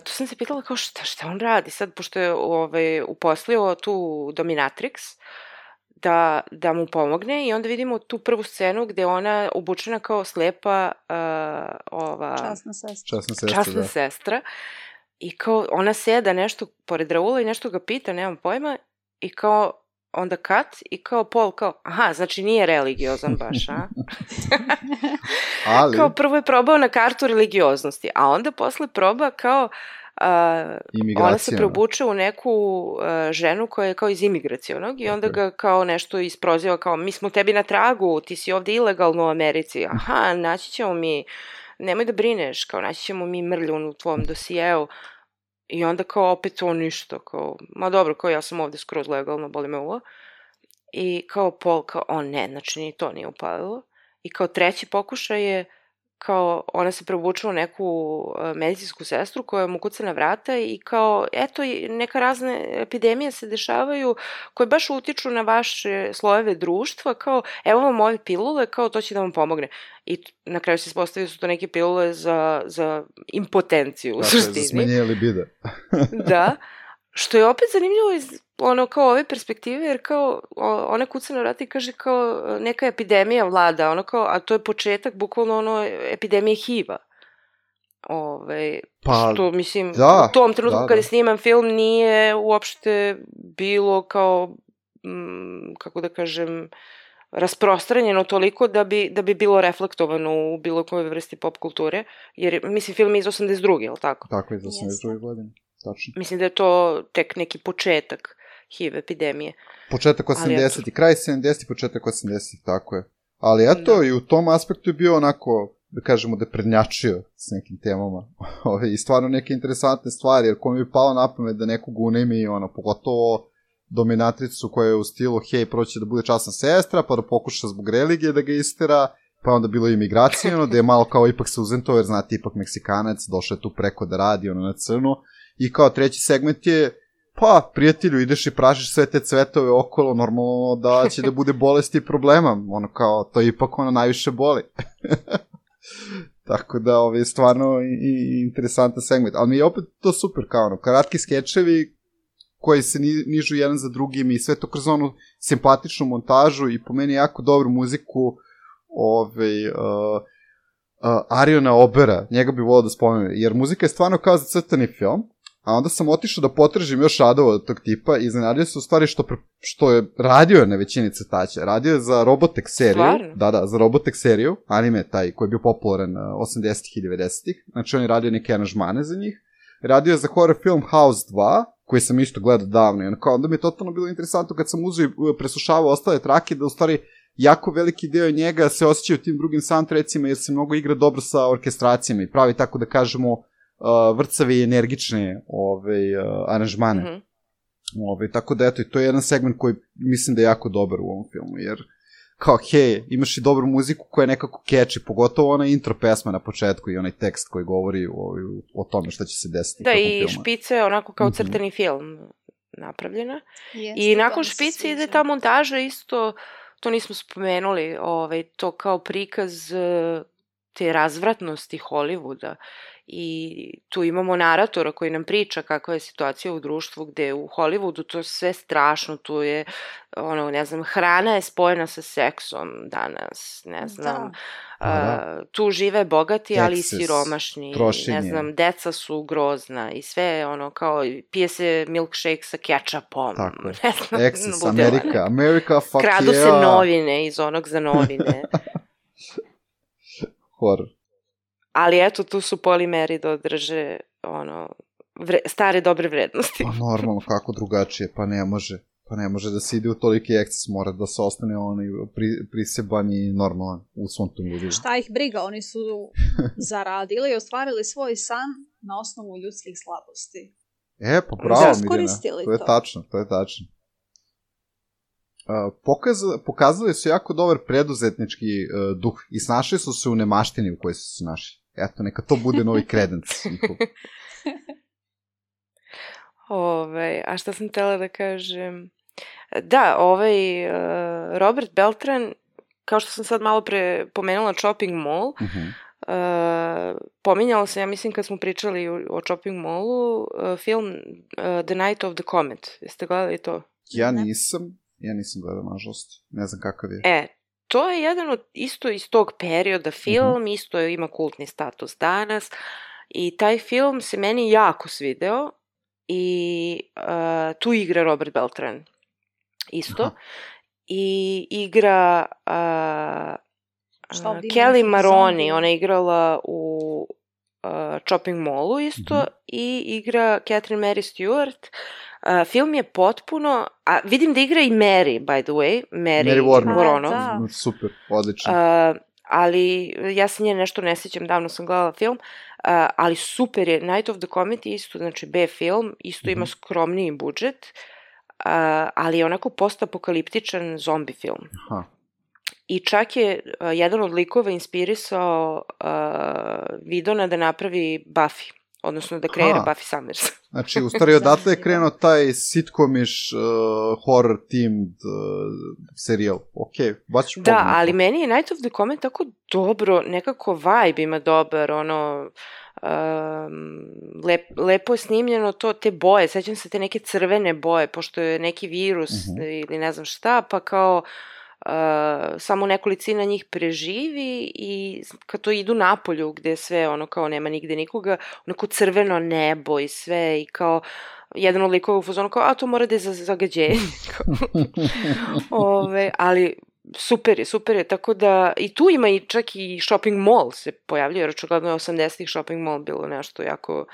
tu sam se pitala kao šta on radi sad, pošto je uposlio tu dominatrix, da mu pomogne i onda vidimo tu prvu scenu gde ona obučena kao slepa časna sestra i kao ona seda nešto pored Raula i nešto ga pita, nemam pojma, i kao onda cut i kao Paul kao, aha, znači nije religiozan baš, a? Kao prvo je probao na kartu religioznosti, a onda posle proba kao ona se preobuče u neku ženu koja je kao iz imigracionog i onda ga kao nešto isproziva kao mi smo tebi na tragu, ti si ovde ilegalno u Americi, aha, naći ćemo mi, nemoj da brineš, kao naći ćemo mi mrlju u tvom dosijeu i onda kao opet to ništa, kao ma dobro, kao ja sam ovde skroz legalno, boli me uvo i kao Paul kao, ne, znači ni to nije upalilo i kao treći pokušaj je kao ona se preobučila u neku medicinsku sestru koja mu kuca na vrata i kao, eto, neka razne epidemije se dešavaju koje baš utiču na vaše slojeve društva, kao, evo vam ove pilule, kao to će da vam pomogne. I na kraju se ispostavio su to neke pilule za impotenciju u suštini. Za smanjenje libida. Da, što je opet zanimljivo iz kao ove perspektive, jer kao ona kuca na vrata i kaže kao neka epidemija vlada, kao, a to je početak bukvalno epidemije HIV-a. Što mislim, u tom trenutku kada je sniman film nije uopšte bilo kao, kako da kažem, rasprostranjeno toliko da bi bilo reflektovano u bilo kojoj vrsti pop kulture, jer mislim film je iz 82. je li tako? Tako je, iz 82. godine. Tačno. Mislim da je to tek neki početak HIV epidemije. Početak 80. Kraj 70. početak 80. Tako je. Ali eto, i u tom aspektu je bio onako, da kažemo, da prednjačio s nekim temama. I stvarno neke interesantne stvari, jer ko mi je palo na pamet da nekog unajmi, pogotovo dominatricu koja je u stilu, hej, proći da bude časna sestra, pa da pokuša zbog religije da ga istera, pa onda bilo imigracijono, da je malo kao ipak se uzento, jer znate, ipak Meksikanac, došao je tu preko da radi, ono na crno, i kao treći segment je, pa, prijatelju, ideš i pražiš sve te cvetove okolo, normalno da će da bude bolesti i problema, ono kao, to ipak ono najviše boli. Tako da, je stvarno i interesantan segment, ali mi je opet to super, kao ono, kratki skečevi koji se nižu jedan za drugim i sve to kroz onu simpatičnu montažu i po meni jako dobru muziku Ariona Obera, njega bi volao da spomenem, jer muzika je stvarno kao za crtani film, a onda sam otišao da potražim još radova od tog tipa i iznenadio se u stvari što je radio na većini crtača. Radio je za Robotech seriju. Stvarno? Da, za Robotech seriju, anime taj koji je bio popularan 80-ih i 90-ih. Znači on je radio neke aranžmane za njih. Radio je za horror film House 2, koji sam isto gledao davno. I onda mi je totalno bilo interesantno kad sam uzeo i preslušavao ostale trake, da u stvari jako veliki deo njega se osjeća u tim drugim soundtrackima, jer se mnogo igra dobro sa orkestracijama i pravi tako da kažemo vrcave i energične aranžmane. Mm-hmm. Tako da, eto, i to je jedan segment koji mislim da je jako dobar u ovom filmu, jer kao, hej, imaš i dobru muziku koja je nekako catchy, pogotovo ona intro pesma na početku i onaj tekst koji govori o tome šta će se desiti. Da, i špica je onako kao crtani film napravljena. I nakon špice ide ta montaža isto, to nismo spomenuli, to kao prikaz te razvratnosti Hollywooda. I tu imamo naratora koji nam priča kakva je situacija u društvu, gde u Hollywoodu to sve strašno, tu je, hrana je spojena sa seksom danas, ne znam, tu žive bogati, ali i siromašni, trošenje. Ne znam, deca su grozna i sve, kao, pije se milkshake sa kečapom, tako je. Ne znam, Excess, America, fuck kradu se novine iz onog za novine. Horror. Ali eto, tu su polimeri da održe stare dobre vrednosti. Pa normalno, kako drugačije, pa ne može da se ide u toliki eksces, mora da se ostane priseban i normalan u svom tom ljudima. Šta ih briga, oni su zaradili i ostvarili svoj san na osnovu ljudskih slabosti. Pa bravo, Mirjana, to je tačno. Pokazali su jako dobar preduzetnički duh i snašli su se u nemaštini u kojoj su se našli. Eto, neka to bude novi kredenc. A šta sam htjela da kažem? Da, Robert Beltran, kao što sam sad malo pre pomenula Chopping Mall, pominjala sam, ja mislim kad smo pričali o Chopping Mallu, film The Night of the Comet. Jeste gledali to? Ja nisam gledao, nažalost. Ne znam kakav je. To je jedan od, isto iz tog perioda film, isto ima kultni status danas i taj film se meni jako svideo i tu igra Robert Beltran isto. I igra Kelly Maroney, ona je igrala u Chopping Mallu isto i igra Catherine Mary Stewart. Film je potpuno, a vidim da igra i Mary, by the way, Mary Woronov. Super, odlično. Ali ja se nje nešto ne sjećam, davno sam gledala film, ali super je, Night of the Comet je isto, znači B film, isto ima skromniji budžet, ali je onako postapokaliptičan zombi film. Aha. I čak je jedan od likova inspirisao Vidona da napravi Buffy, odnosno da kreira Buffy Summers. Znači, u stvari, odatle je krenuo taj sitcomish horror themed serijal. Ok, baš ću pogledati. Da, ali meni je Night of the Comet tako dobro, nekako vibe ima dobar, lepo je snimljeno to, te boje, sećam se te neke crvene boje, pošto je neki virus ili ne znam šta, pa kao samo nekolicina njih preživi i kad to idu napolju gde sve kao nema nigde nikoga, onako crveno nebo i sve i kao jedan od likova u fazonu kao, to mora da je za zagađenje. Ali super je, tako da i tu ima i čak i shopping mall se pojavljuje, jer očigledno je 80-ih shopping mall bilo nešto jako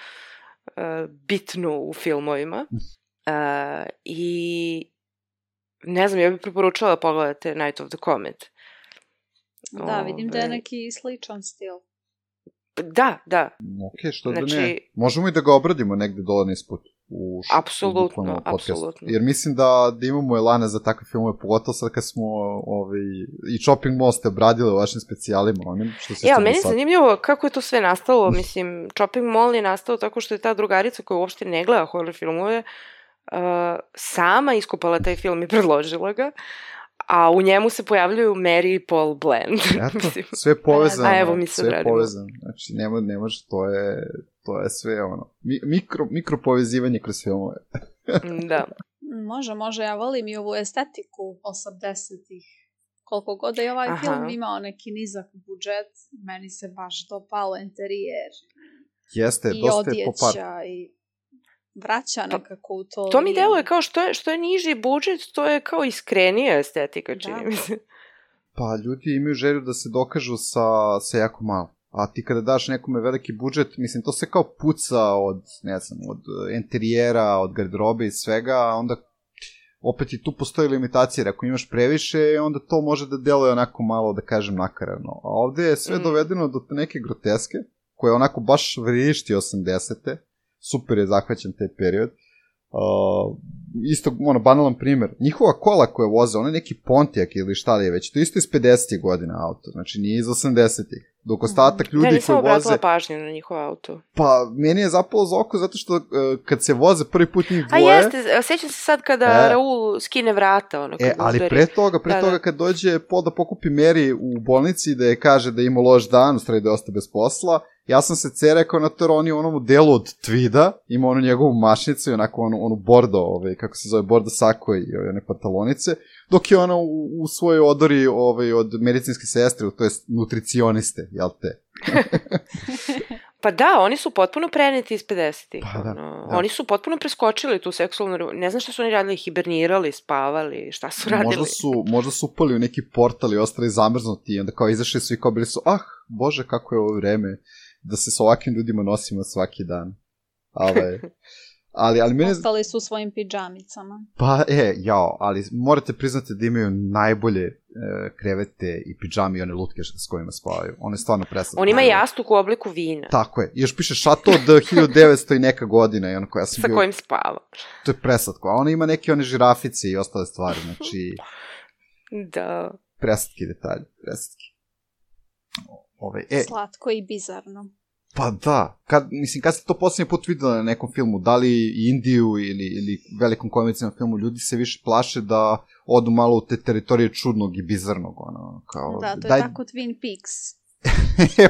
bitno u filmovima. I ne znam, ja bih preporučala da pogledate Night of the Comet. Da, vidim da je neki sličan stil. Da. Ok, što da ne. Možemo i da ga obradimo negde dole nisput. Apsolutno. Jer mislim da imamo elane za takve filmove, pogotovo sad kad smo i Chopping Mall ste obradili u vašim specijalima. Meni je zanimljivo kako je to sve nastalo. Mislim, Chopping Mall je nastao tako što je ta drugarica koja uopšte ne gleda horror filmove sama iskopala taj film i predložila ga. A u njemu se pojavljuju Mary i Paul Bland. Eto, sve povezano. A evo mi se odradimo. Znači, ne može, to je sve mikro povezivanje kroz filmove. Da. Može, ja volim i ovu estetiku 80-ih. Koliko god da je ovaj film imao neki nizak budžet, meni se baš dopalo interijer. Jeste, i dosta je popar. I odjeća i vraća nekako u to. To mi deluje kao što je niži budžet, to je kao iskrenija estetika, čini mi se. Pa ljudi imaju želju da se dokažu sa jako malo. A ti kada daš nekome veliki budžet, mislim, to se kao puca od interijera, od garderobe i svega, a onda opet i tu postoji limitacija. Ako imaš previše, onda to može da deluje onako malo, da kažem, nakarano. A ovde je sve dovedeno do neke groteske, koje onako baš vrišti 80-te. Super je zahvaćen taj period. Isto, banalan primer. Njihova kola koje voze, ono je neki Pontiac ili šta li je već, to isto iz 50. godina auto, znači nije iz 80-ih. Dok ostatak ljudi koji voze... Ja nisam obratila pažnju na njihov auto. Pa, meni je zapalo za oko zato što kad se voze prvi put njih dvoje... A jeste, sećam se sad kada Raul skine vrata, ono, kad ali pre toga kad dođe Paul da pokupi Mary u bolnici da je kaže da ima loš dan, u stvari da je ostao bez posla, ja sam se cerekao na to jer on je u onom delu od Tweeda, ima onu njegovu mašnicu i onako onu bordo, kako se zove, bordo sako i one pantalonice, dok je ona u svojoj odori od medicinske sestre, to je nutricioniste, jel te? Pa da, oni su potpuno preneti iz 50-ih. Pa da. Oni su potpuno preskočili tu seksualnu... Ne znam šta su oni radili, hibernirali, spavali, šta su radili. Možda su upali u neki portal i ostali zamrznuti i onda kao izašli svi kao bili su, bože, kako je ovo vreme da se s ovakvim ljudima nosimo svaki dan. Ali mene... Ostali su u svojim pidžamicama. Pa, ali morate priznati da imaju najbolje krevete i pidžame i one lutke s kojima spavaju. One je stvarno preslatko. On ima jastuk u obliku vina. Tako je. I još piše šato od 1900 i neka godina. I ono koja sam sa kojim spava. To je preslatko. A ona ima neke one žirafice i ostale stvari. Znači... Da. Preslatki detalji. Preslatki. Slatko i bizarno. Pa da, kad ste to posljednji put videli na nekom filmu, da li Indiju ili velikom komercijalnom filmu, ljudi se više plaše da odu malo u te teritorije čudnog i bizarnog. Da, to je tako Twin Peaks.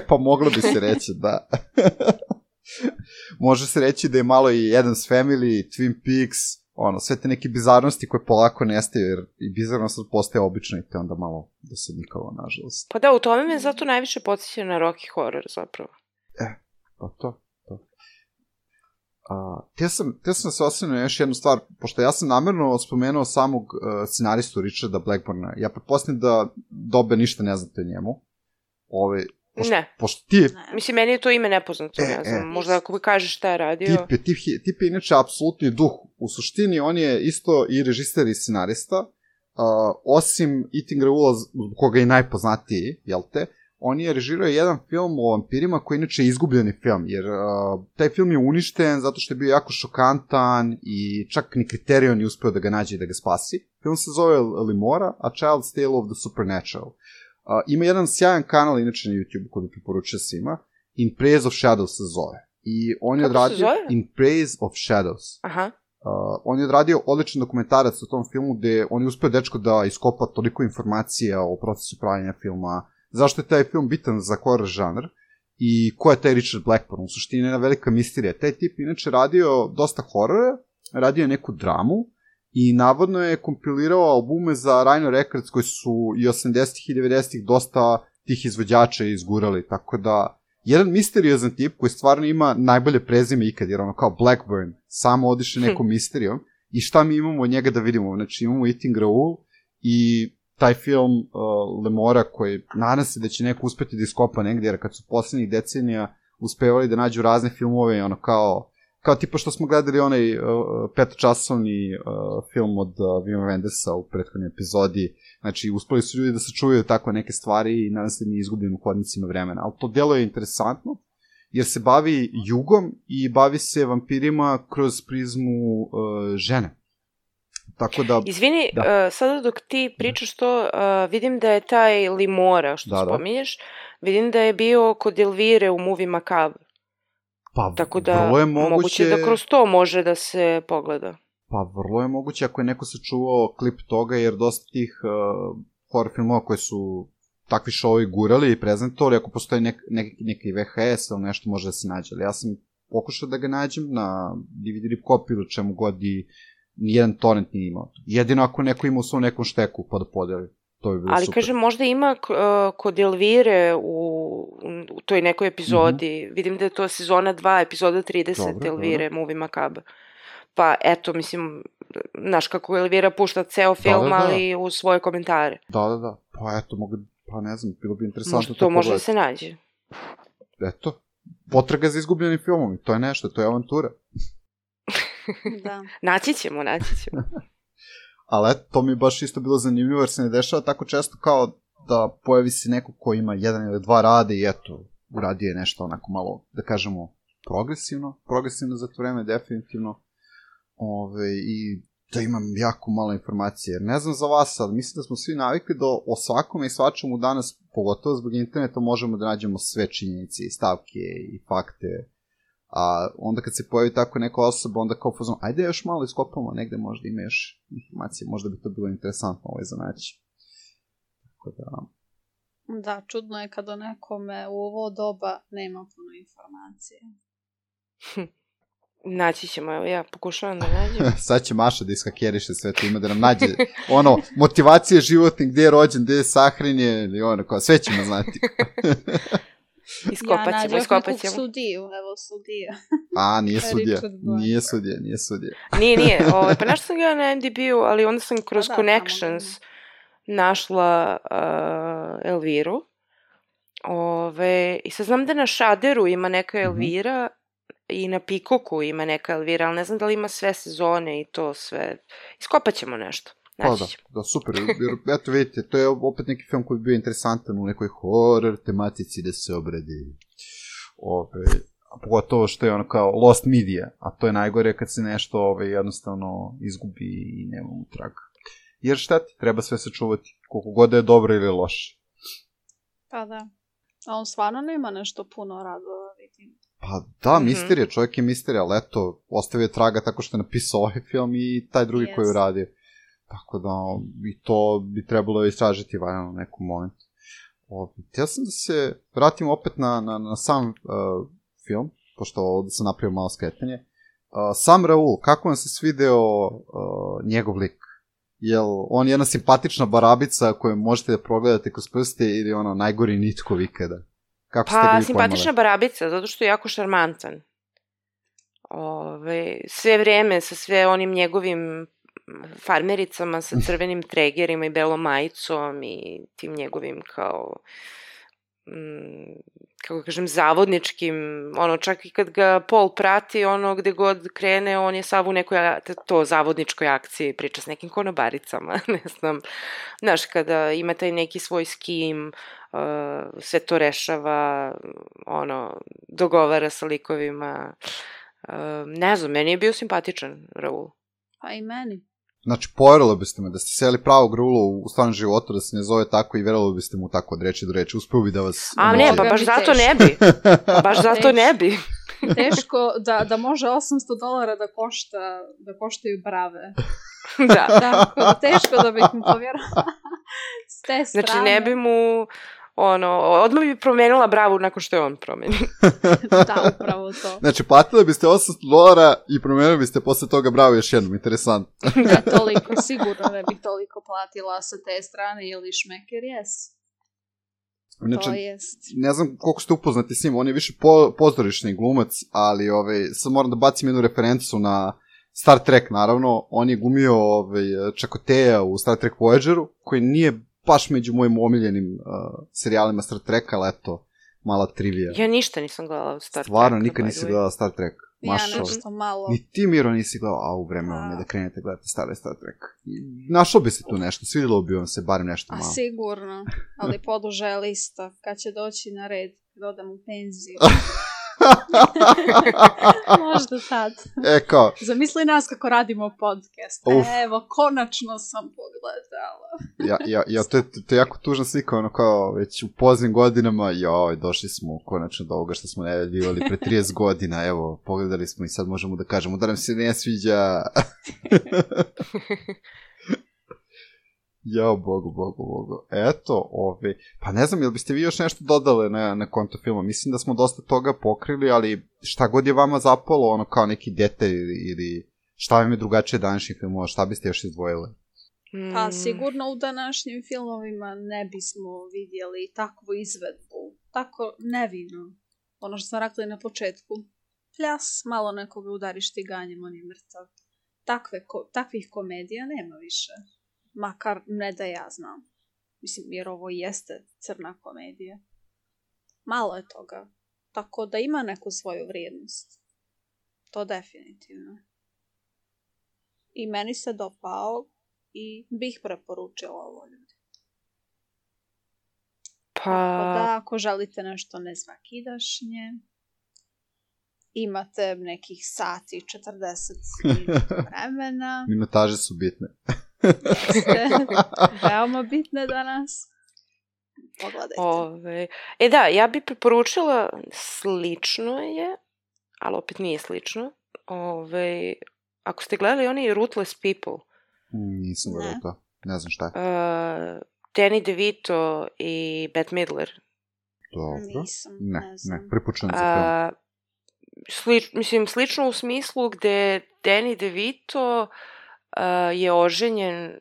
Pa moglo bi se reći, da. Može se reći da je malo i Addams Family, Twin Peaks, sve te neke bizarnosti koje polako nestaju, jer i bizarnost postaje obično i te onda malo dosadnikalo, nažalost. Pa da, u tome me zato najviše podsjeća na Rocky Horror, zapravo. Pa to. Te sam se osvrnuo na još jednu stvar, pošto ja sam namerno spomenuo samog scenaristu Richarda Blackburna. Ja pretpostavljam da Dobe ništa ne znate o njemu. Ne. Pošto ti... Mislim, meni je to ime nepoznato, ne znam. Možda ako mi kažeš šta je radio... Tip je inače apsolutni duh. U suštini, on je isto i režiser i scenarista. Osim Eating Raoula, koga je najpoznatiji, jel te? On je režirao jedan film o vampirima koji je inače izgubljeni film, jer taj film je uništen zato što je bio jako šokantan i čak ni Criterion nije uspeo da ga nađe i da ga spasi. Film se zove Limora, A Child's Tale of the Supernatural. Ima jedan sjajan kanal inače na YouTube koji bi preporučio svima, In Praise of Shadows se zove. I on je odradio In Praise of Shadows. Aha. On je odradio odličan dokumentarac o tom filmu gde on je uspeo dečko da iskopa toliko informacija o procesu pravljenja filma, zašto je taj film bitan za horror žanr i ko je taj Richard Blackburn, u suštini jedna velika misterija. Taj tip inače radio dosta horora, radio je neku dramu i navodno je kompilirao albume za Rhino Records koji su i 80-ih i 90-ih dosta tih izvođača izgurali, tako da jedan misteriozan tip koji stvarno ima najbolje prezime ikad, jer ono kao Blackburn, samo odiše nekom misterijom i šta mi imamo od njega da vidimo, znači imamo Eating Raoul i taj film Lemora koji nadam se da će neko uspeti da iskopa negdje, jer kad su posljednjih decenija uspevali da nađu razne filmove, ono kao tipa što smo gledali onaj petočasovni film od Wima Wendersa u prethodnoj epizodi, znači uspeli su ljudi da se čuvaju tako neke stvari i nadam se da nije izgubljen u hodnicima vremena, ali to delo je interesantno jer se bavi jugom i bavi se vampirima kroz prizmu žene. Tako da... Izvini, sada dok ti pričaš to, vidim da je taj Limora, što spominješ, vidim da je bio kod Elvire u Movie Macabre. Pa, tako da vrlo je moguće da kroz to može da se pogleda. Pa, vrlo je moguće ako je neko sačuvao klip toga, jer dosta tih horror filmova koje su takvi showovi gurali i prezentovali, ako postoji neki VHS ili nešto može da se nađe. Ali ja sam pokušao da ga nađem na DVD rip copy ili čemu god i nijedan torrent nije imao. Jedino ako neko ima u svom nekom šteku pa da podeli. To bi bilo ali super. Kažem, možda ima kod Elvire u toj nekoj epizodi, vidim da je to sezona 2, epizoda 30 Elvire, Movie Macabre. Pa eto, mislim, znaš kako Elvira pušta ceo film, ali u svoje komentare. Da. Pa eto, pa ne znam, bilo bi interesantno možda to može da se nađe. Eto, potraga za izgubljenim filmom, to je nešto, to je avantura. Da. Naći ćemo. Ali eto, to mi je baš isto bilo zanimljivo, jer se ne dešava tako često kao da pojavi se neko ko ima 1 ili 2 rade i eto, uradio je nešto onako malo, da kažemo, progresivno za to vreme, definitivno. I da imam jako malo informacije, jer ne znam za vas, ali mislim da smo svi navikli da o svakome i svačemu danas, pogotovo zbog interneta, možemo da nađemo sve činjenice i stavke i fakte. A onda kad se pojavi tako neka osoba, onda kao fazon, ajde još malo iskopamo, negde možda ima još informacije, možda bi to bilo interesantno za naći. Tako da... Da, čudno je kada nekome u ovo doba nema puno informacije. Naći ćemo, evo ja pokušavam da nađem. Sad će Maša da iskakeriše sve to, ima da nam nađe motivacije životne, gde je rođen, gde je sahranjen, ili kao sve ćemo znati. Iskopat ćemo. Ja nađem nekog sudiju, evo sudija. A, nije sudija. Nije. Pa našla sam ga na MDB-u, ali onda sam kroz Connections našla Elviru. I sad znam da na Shudderu ima neka Elvira i na Peacocku ima neka Elvira, ali ne znam da li ima sve sezone i to sve. Iskopat ćemo nešto. Da, super, jer eto vidite, to je opet neki film koji bi bio interesantan u nekoj horror tematici da se obradi. Pogotovo što je ono kao lost media, a to je najgore kad se nešto jednostavno izgubi i nema utrag. Jer šta ti, treba sve sačuvati, koliko god da je dobro ili loše. Pa da, a on stvarno nema nešto puno radova, vidim. Pa da, misterija, čovjek je misterija, ali eto, ostavio je traga tako što je napisao ovaj film i taj drugi koji je uradio. Tako da, i to bi trebalo istražiti valjano u nekom momentu. Htio sam da se vratim opet na sam film, pošto ovdje sam napravio malo skretanje. Sam Raul, kako vam se svideo njegov lik? Jel on jedna simpatična barabica koju možete da progledate kroz prste ili ono najgori nitko ikada? Pa, simpatična barabica, zato što je jako šarmantan. Sve vreme sa sve onim njegovim farmericama sa crvenim tregerima i belom majicom i tim njegovim kao kako kažem zavodničkim, čak i kad ga Paul prati, gde god krene, on je sav u nekoj zavodničkoj akciji, priča s nekim konobaricama, ne znam, znaš, kada ima taj neki svoj skim, sve to rešava, dogovara sa likovima, ne znam, meni je bio simpatičan Raul. Pa i meni. Znači, poverili biste me da ste seli pravog Raula u stvarnom životu, da se ne zove tako i verovali biste mu tako od reči do reči. Uspeo bi da vas... A ne, pa baš zato ne bi. Baš zato ne bi. Teško da može $800 da koštaju brave. Da. Tako da teško da bih mu povjerovala. S te strane. Znači, ne bi mu... odmah bi promenila bravu nakon što je on promeni. Da, upravo to. Znači, platili biste $800 i promenili biste posle toga bravu još jednom, interesantno. Da, toliko, sigurno ne bih toliko platila sa te strane ili šmeker, Znači, to jest. Ne znam koliko ste upoznati s njim, on je više pozorišni glumac, ali sad moram da bacim jednu referencu na Star Trek, naravno. On je glumio Čakoteja u Star Trek Voyageru, koji nije baš među mojim omiljenim serijalima Star Treka, ali eto, mala trivija. Ja ništa nisam gledala Star Trek. Stvarno, nikad nisi gledala Star Trek. Ja nešto malo. Ni ti, Miro, nisi gledala, a u vreme vam je da krenete gledati stare Star Trek. Našlo bi se tu nešto, svidjelo bi vam se barem nešto malo. A sigurno, ali poduže lista, kad će doći na red, kad odem u penziju. Možda sad. Kao... Zamisli nas kako radimo podcast. Evo, konačno sam pogledala. To je jako tužna slika, ono kao već u poznim godinama, došli smo konačno do ovoga što smo najavljivali pre 30 godina, evo, pogledali smo i sad možemo da kažemo da nam se ne sviđa. Jao, bogu. Eto, pa ne znam, jel biste vi još nešto dodale na konto filma? Mislim da smo dosta toga pokrili, ali šta god je vama zapalo, ono kao neki detalj ili šta vam je drugačije današnjih filmova, šta biste još izdvojile? Pa sigurno u današnjim filmovima ne bismo vidjeli takvu izvedbu, tako nevino. Ono što sam rekla i na početku. Pljas, malo nekoga udariš tiganjem, on je mrtav. Takvih komedija nema više. Makar ne da ja znam. Mislim, jer ovo jeste crna komedija. Malo je toga. Tako da ima neku svoju vrijednost. To definitivno. I meni se dopao i bih preporučila ovo ljudi. Pa... Da, ako želite nešto nesvakidašnje, imate nekih sati 40 vremena. Minutaže su bitne. Jeste, veoma bitne danas. Pogledajte. Da, ja bih preporučila, slično je, ali opet nije slično. Ako ste gledali oni Ruthless People. Nisam gledala to, ne znam šta je. Danny DeVito i Bette Midler. Dobro. Nisam, ne, pripučujem za film. Slično u smislu gde Danny DeVito je oženjen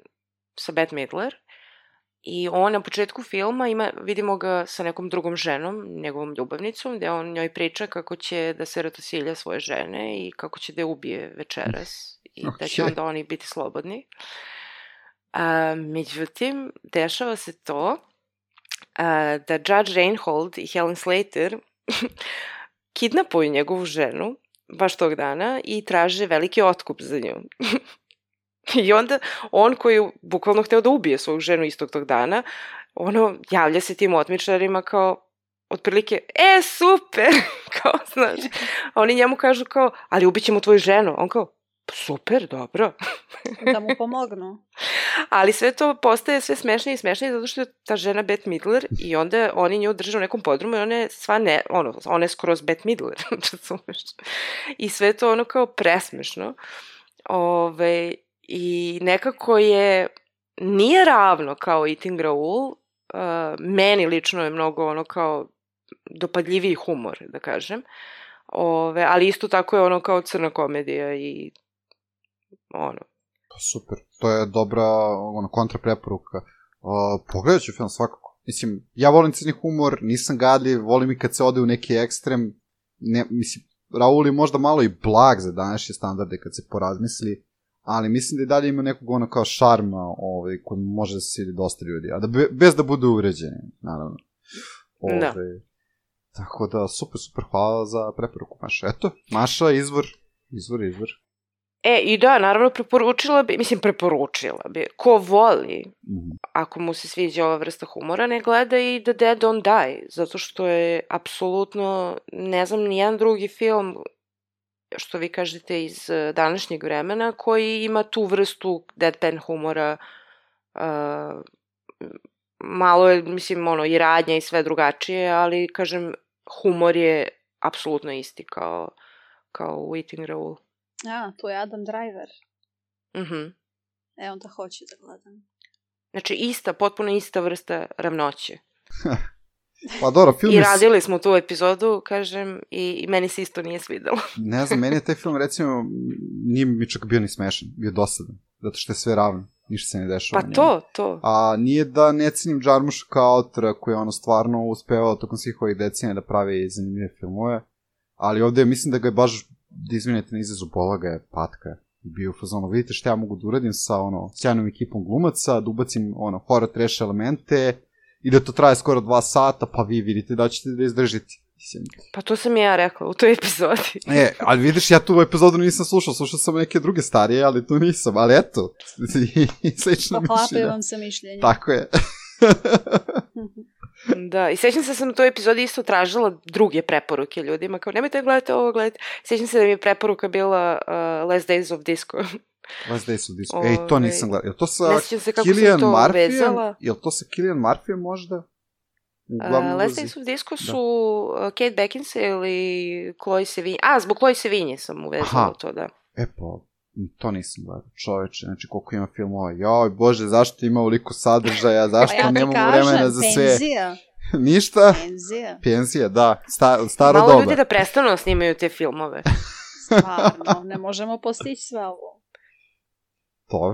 sa Bette Midler i on na početku filma vidimo ga sa nekom drugom ženom, njegovom ljubavnicom, gde on njoj priča kako će da se ratosilja svoje žene i kako će da je ubije večeras i da će onda oni biti slobodni. Međutim, dešava se to da Judge Reinhold i Helen Slater kidnapuju njegovu ženu baš tog dana i traže veliki otkup za nju. I onda on koji je bukvalno hteo da ubije svoju ženu istog tog dana, javlja se tim otmičarima kao, otprilike, super, kao, znaš. A oni njemu kažu kao, ali ubićemo tvoju ženu. On kao, super, dobro. Da mu pomognu. Ali sve to postaje sve smešnije i smešnije zato što je ta žena Bette Midler i onda oni nju drže u nekom podrumu i ona je skroz Bette Midler. I sve to kao presmešno. I nekako nije ravno kao Eating Raoul, meni lično je mnogo kao dopadljiviji humor, da kažem, ali isto tako je kao crna komedija i Super, to je dobra kontra preporuka. Pogledat ću film svakako. Mislim, ja volim crni humor, nisam gadljiv, volim i kad se ode u neki ekstrem. Mislim, Raoul je možda malo i blag za današnje standarde kad se porazmisli, ali mislim da i dalje ima nekog kao šarma koji može da se svidi dosta ljudi, a bez da budu uređeni, naravno. Tako da, super, hvala za preporuku, Maša. Eto, Maša, izvor. I da, naravno preporučila bi, ko voli, ako mu se sviđa ova vrsta humora, ne gleda i The Dead Don't Die, zato što je apsolutno, ne znam, nijedan drugi film, što vi kažete, iz današnjeg vremena, koji ima tu vrstu deadpan humora, malo je, i radnja i sve drugačije, ali, kažem, humor je apsolutno isti kao u Eating Raoul. Tu je Adam Driver. Mhm. Onda hoću da gledam. Znači, potpuno ista vrsta ravnoće. Pa dobro, film I radili smo tu epizodu, kažem, i meni se isto nije svidelo. Ne znam, meni je taj film, recimo, nije mi čak bio ni smešan, bio dosadan, zato što je sve ravno, ništa se ne dešava. Pa to. A nije da ne cenim Jarmusha kao autora koji je stvarno uspevao tokom svih ovih decenija da pravi zanimljive filmove, ali ovde mislim da ga je baš, da izvinite na izrazu, bola ga je patka. Bio u fazonu, vidite šta ja mogu da uradim sa sjajnom ekipom glumaca, da ubacim horror trash elemente i da to traje skoro 2 sata, pa vi vidite da ćete da izdržite. Pa to sam ja rekla u toj epizodi. Ali vidiš, ja tu epizodu nisam slušao sam neke druge starije, ali tu nisam, ali eto, slično mišljenja. Poklapaju vam se mišljenje. Tako je. Da, i sećam se da sam u toj epizodi isto tražila druge preporuke ljudima, kao nemojte gledati ovo, gledajte. Sećam se da mi je preporuka bila Last Days of Disco. Last Days of Disco. Ej, to nisam gledala. Je to sa Cillian Murphyjem? Je to sa Cillian Murphyjem možda? Last Days of Disco su Kate Beckinsale i Chloe Sevigny. Zbog Chloe Sevigny sam uvezala to, da. Pa, to nisam gledala, čoveče, znači koliko ima filmova. Joj, bože, zašto ima ovoliko sadržaja, zašto nemamo vremena za sve? Penzija. Ništa? Penzija, da, staro doba. Malo ljudi da prestanu snimaju te filmove. Stvarno, ne možemo postići sve ovo.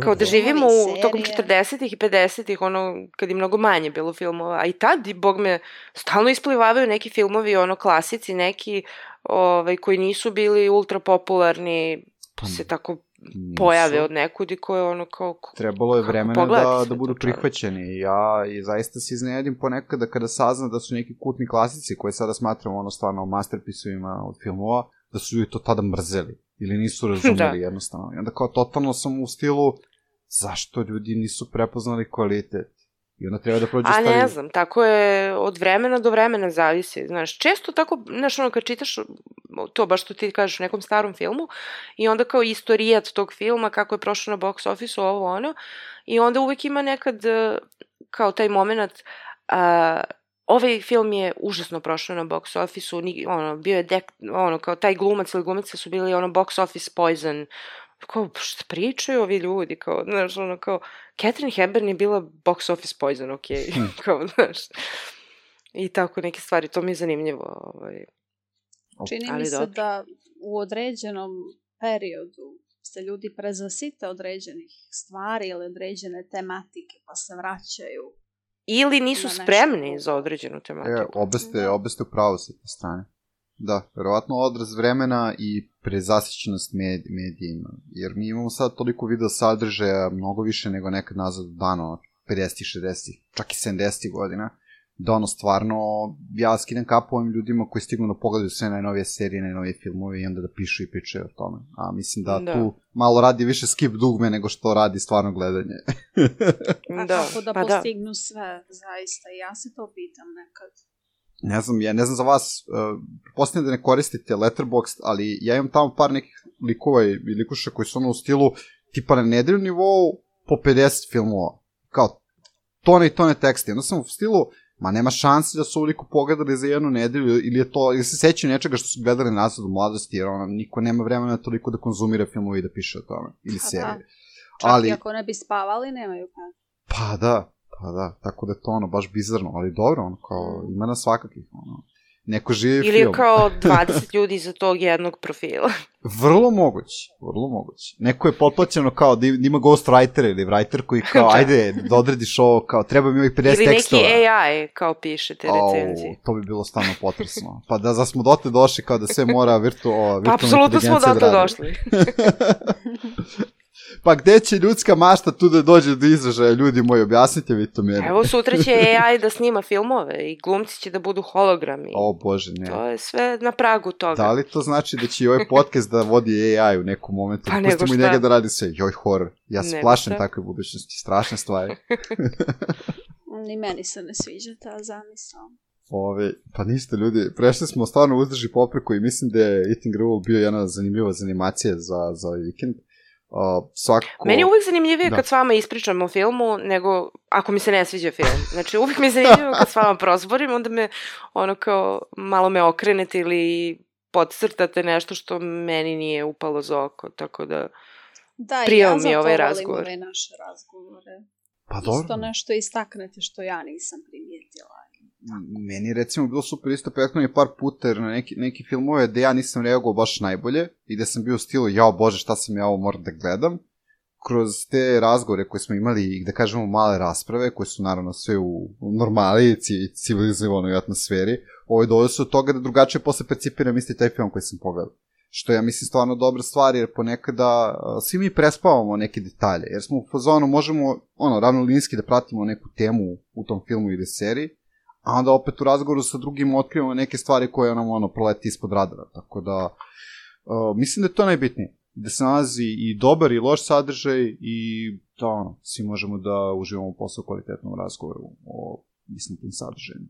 Kao da živimo tokom 40-ih i 50-ih, kad je mnogo manje bilo filmova, a i tad, bog me, stalno isplivavaju neki filmovi, klasici, neki koji nisu bili ultra popularni, se tako pojave od nekud i koje kao... Trebalo je vremena da budu prihvaćeni. Ja i zaista se iznenadim ponekada kada saznam da su neki kultni klasici koje sada smatramo stvarno masterpiece-ovima od filmova, da su ljudi to tada mrzeli ili nisu razumeli jednostavno. I onda kao totalno sam u stilu zašto ljudi nisu prepoznali kvalitet. I onda treba da prođe stvari... ne znam, tako je od vremena do vremena zavisi. Znaš, često tako, kad čitaš to, baš što ti kažeš u nekom starom filmu, i onda kao istorijat tog filma, kako je prošao na box office-u, ovo ono, i onda uvek ima nekad kao taj moment, ovaj film je užasno prošao na box office-u, bio je kao taj glumac ili glumica su bili box office poison, kao, šta pričaju ovi ljudi, kao, znaš, kao, Katharine Hepburn je bila box office poison, okej, kao, znaš, i tako neke stvari, to mi je zanimljivo, Čini mi se da u određenom periodu se ljudi prezasite određenih stvari ili određene tematike, pa se vraćaju. Ili nisu spremni za određenu tematiku. Obe ste u pravu sa te strane. Da, verovatno odraz vremena i prezasićenost medijima, jer mi imamo sad toliko video sadržaja, mnogo više nego nekad nazad dano, 50-ih, 60-ih, čak i 70-ih godina, da stvarno, ja skidam kapu ovim ljudima koji stignu da pogledaju sve najnovije serije, najnovije filmove i onda da pišu i pričaju o tome. A mislim da tu malo radi više skip dugme nego što radi stvarno gledanje. Kako da postignu sve, zaista, ja se to pitam nekad. Ne znam za vas, posljedno da ne koristite Letterboxd, ali ja imam tamo par nekih likova i likuša koji su u stilu tipa na nedeljnom nivou po 50 filmova. Kao tone i tone tekste. Onda sam u stilu, nema šanse da su ovoliko pogledali za jednu nedelju ili se sećaju nečega što su gledali nazad u mladosti, jer niko nema vremena toliko da konzumira filmove i da piše o tome. Ili serije. Čak i ako ne bi spavali, nemaju kada. Pa da, tako da je to baš bizarno, ali dobro, kao ima na svakakih, neko živi film. Ili kao 20 ljudi za tog jednog profila. Vrlo moguće. Neko je potplaćeno kao da ima ghostwriter ili writer koji kao, ajde, da odrediš ovo, kao, treba mi ovih 50 tekstova. Ili neki AI, kao pišete recenzije. To bi bilo stvarno potresno. Pa da smo dotle došli, kao da sve mora virtualna apsolutno smo dotle došli. Pa gde će ljudska mašta tu da dođe do izražaja, ljudi moji, objasnite vi to meni. Evo, sutra će AI da snima filmove i glumci će da budu hologrami. O Bože, ne. To je sve na pragu toga. Da li to znači da će i ovaj podcast da vodi AI u nekom momentu? Pa nego šta. Pustimo i njega da radi sve. Joj, horor. Ja se plašim takve budućnosti. Strašne stvari. Ni meni se ne sviđa ta zamisao. Pa ništa, ljudi. Prešli smo stvarno uzdrži popreku i mislim da je Eating Raoul bio jedna zanimljiva animacija za ovaj vikend. Meni je uvijek zanimljivije kad s vama ispričam o filmu nego ako mi se ne sviđa film. Znači uvijek mi je zanimljivo kad s vama prozborim, onda me kao malo me okrenete ili podcrtate nešto što meni nije upalo za oko, tako da prijao mi je ovaj razgovor. Da, ja zato volim ove naše razgovore. Pa dobro. Isto nešto istaknete što ja nisam primijetila. Meni recimo bilo super isto prethodno par puta jer na neki filmove gde ja nisam reagovao baš najbolje i gde sam bio u stilu, jao Bože, šta sam ja ovo moram da gledam, kroz te razgovore koje smo imali i da kažemo male rasprave, koje su naravno sve u normali i civilizovanoj atmosferi, doveo se od toga da drugačije posle percipiram isti taj film koji sam pogledao. Što ja mislim stvarno dobra stvar, jer ponekada svi mi prespavamo neke detalje, jer smo u fazonu možemo ravnolinijski da pratimo neku temu u tom filmu ili seriji, a onda opet u razgovoru sa drugim otkrivamo neke stvari koje nam proleti ispod radara. Tako da, mislim da je to najbitnije. Da se nalazi i dobar i loš sadržaj i da svi možemo da uživamo posao u kvalitetnom razgovoru o istim tim sadržajima.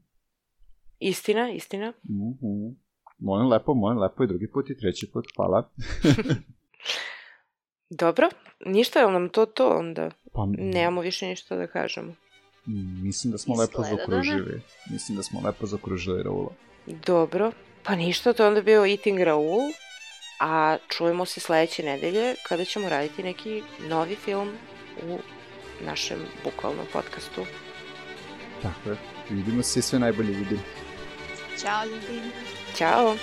Istina. Molim lepo i drugi put i treći put, hvala. Dobro, ništa, je li nam to onda? Pa, nemamo više ništa da kažemo. Mislim da smo lepo zakružili Raula. Dobro, pa ništa, to je onda bio Eating Raoul, a čujemo se sledeće nedelje kada ćemo raditi neki novi film u našem bukvalnom podcastu. Tako je, vidimo se i sve najbolje vidim. Ćao ljudi. Ćao.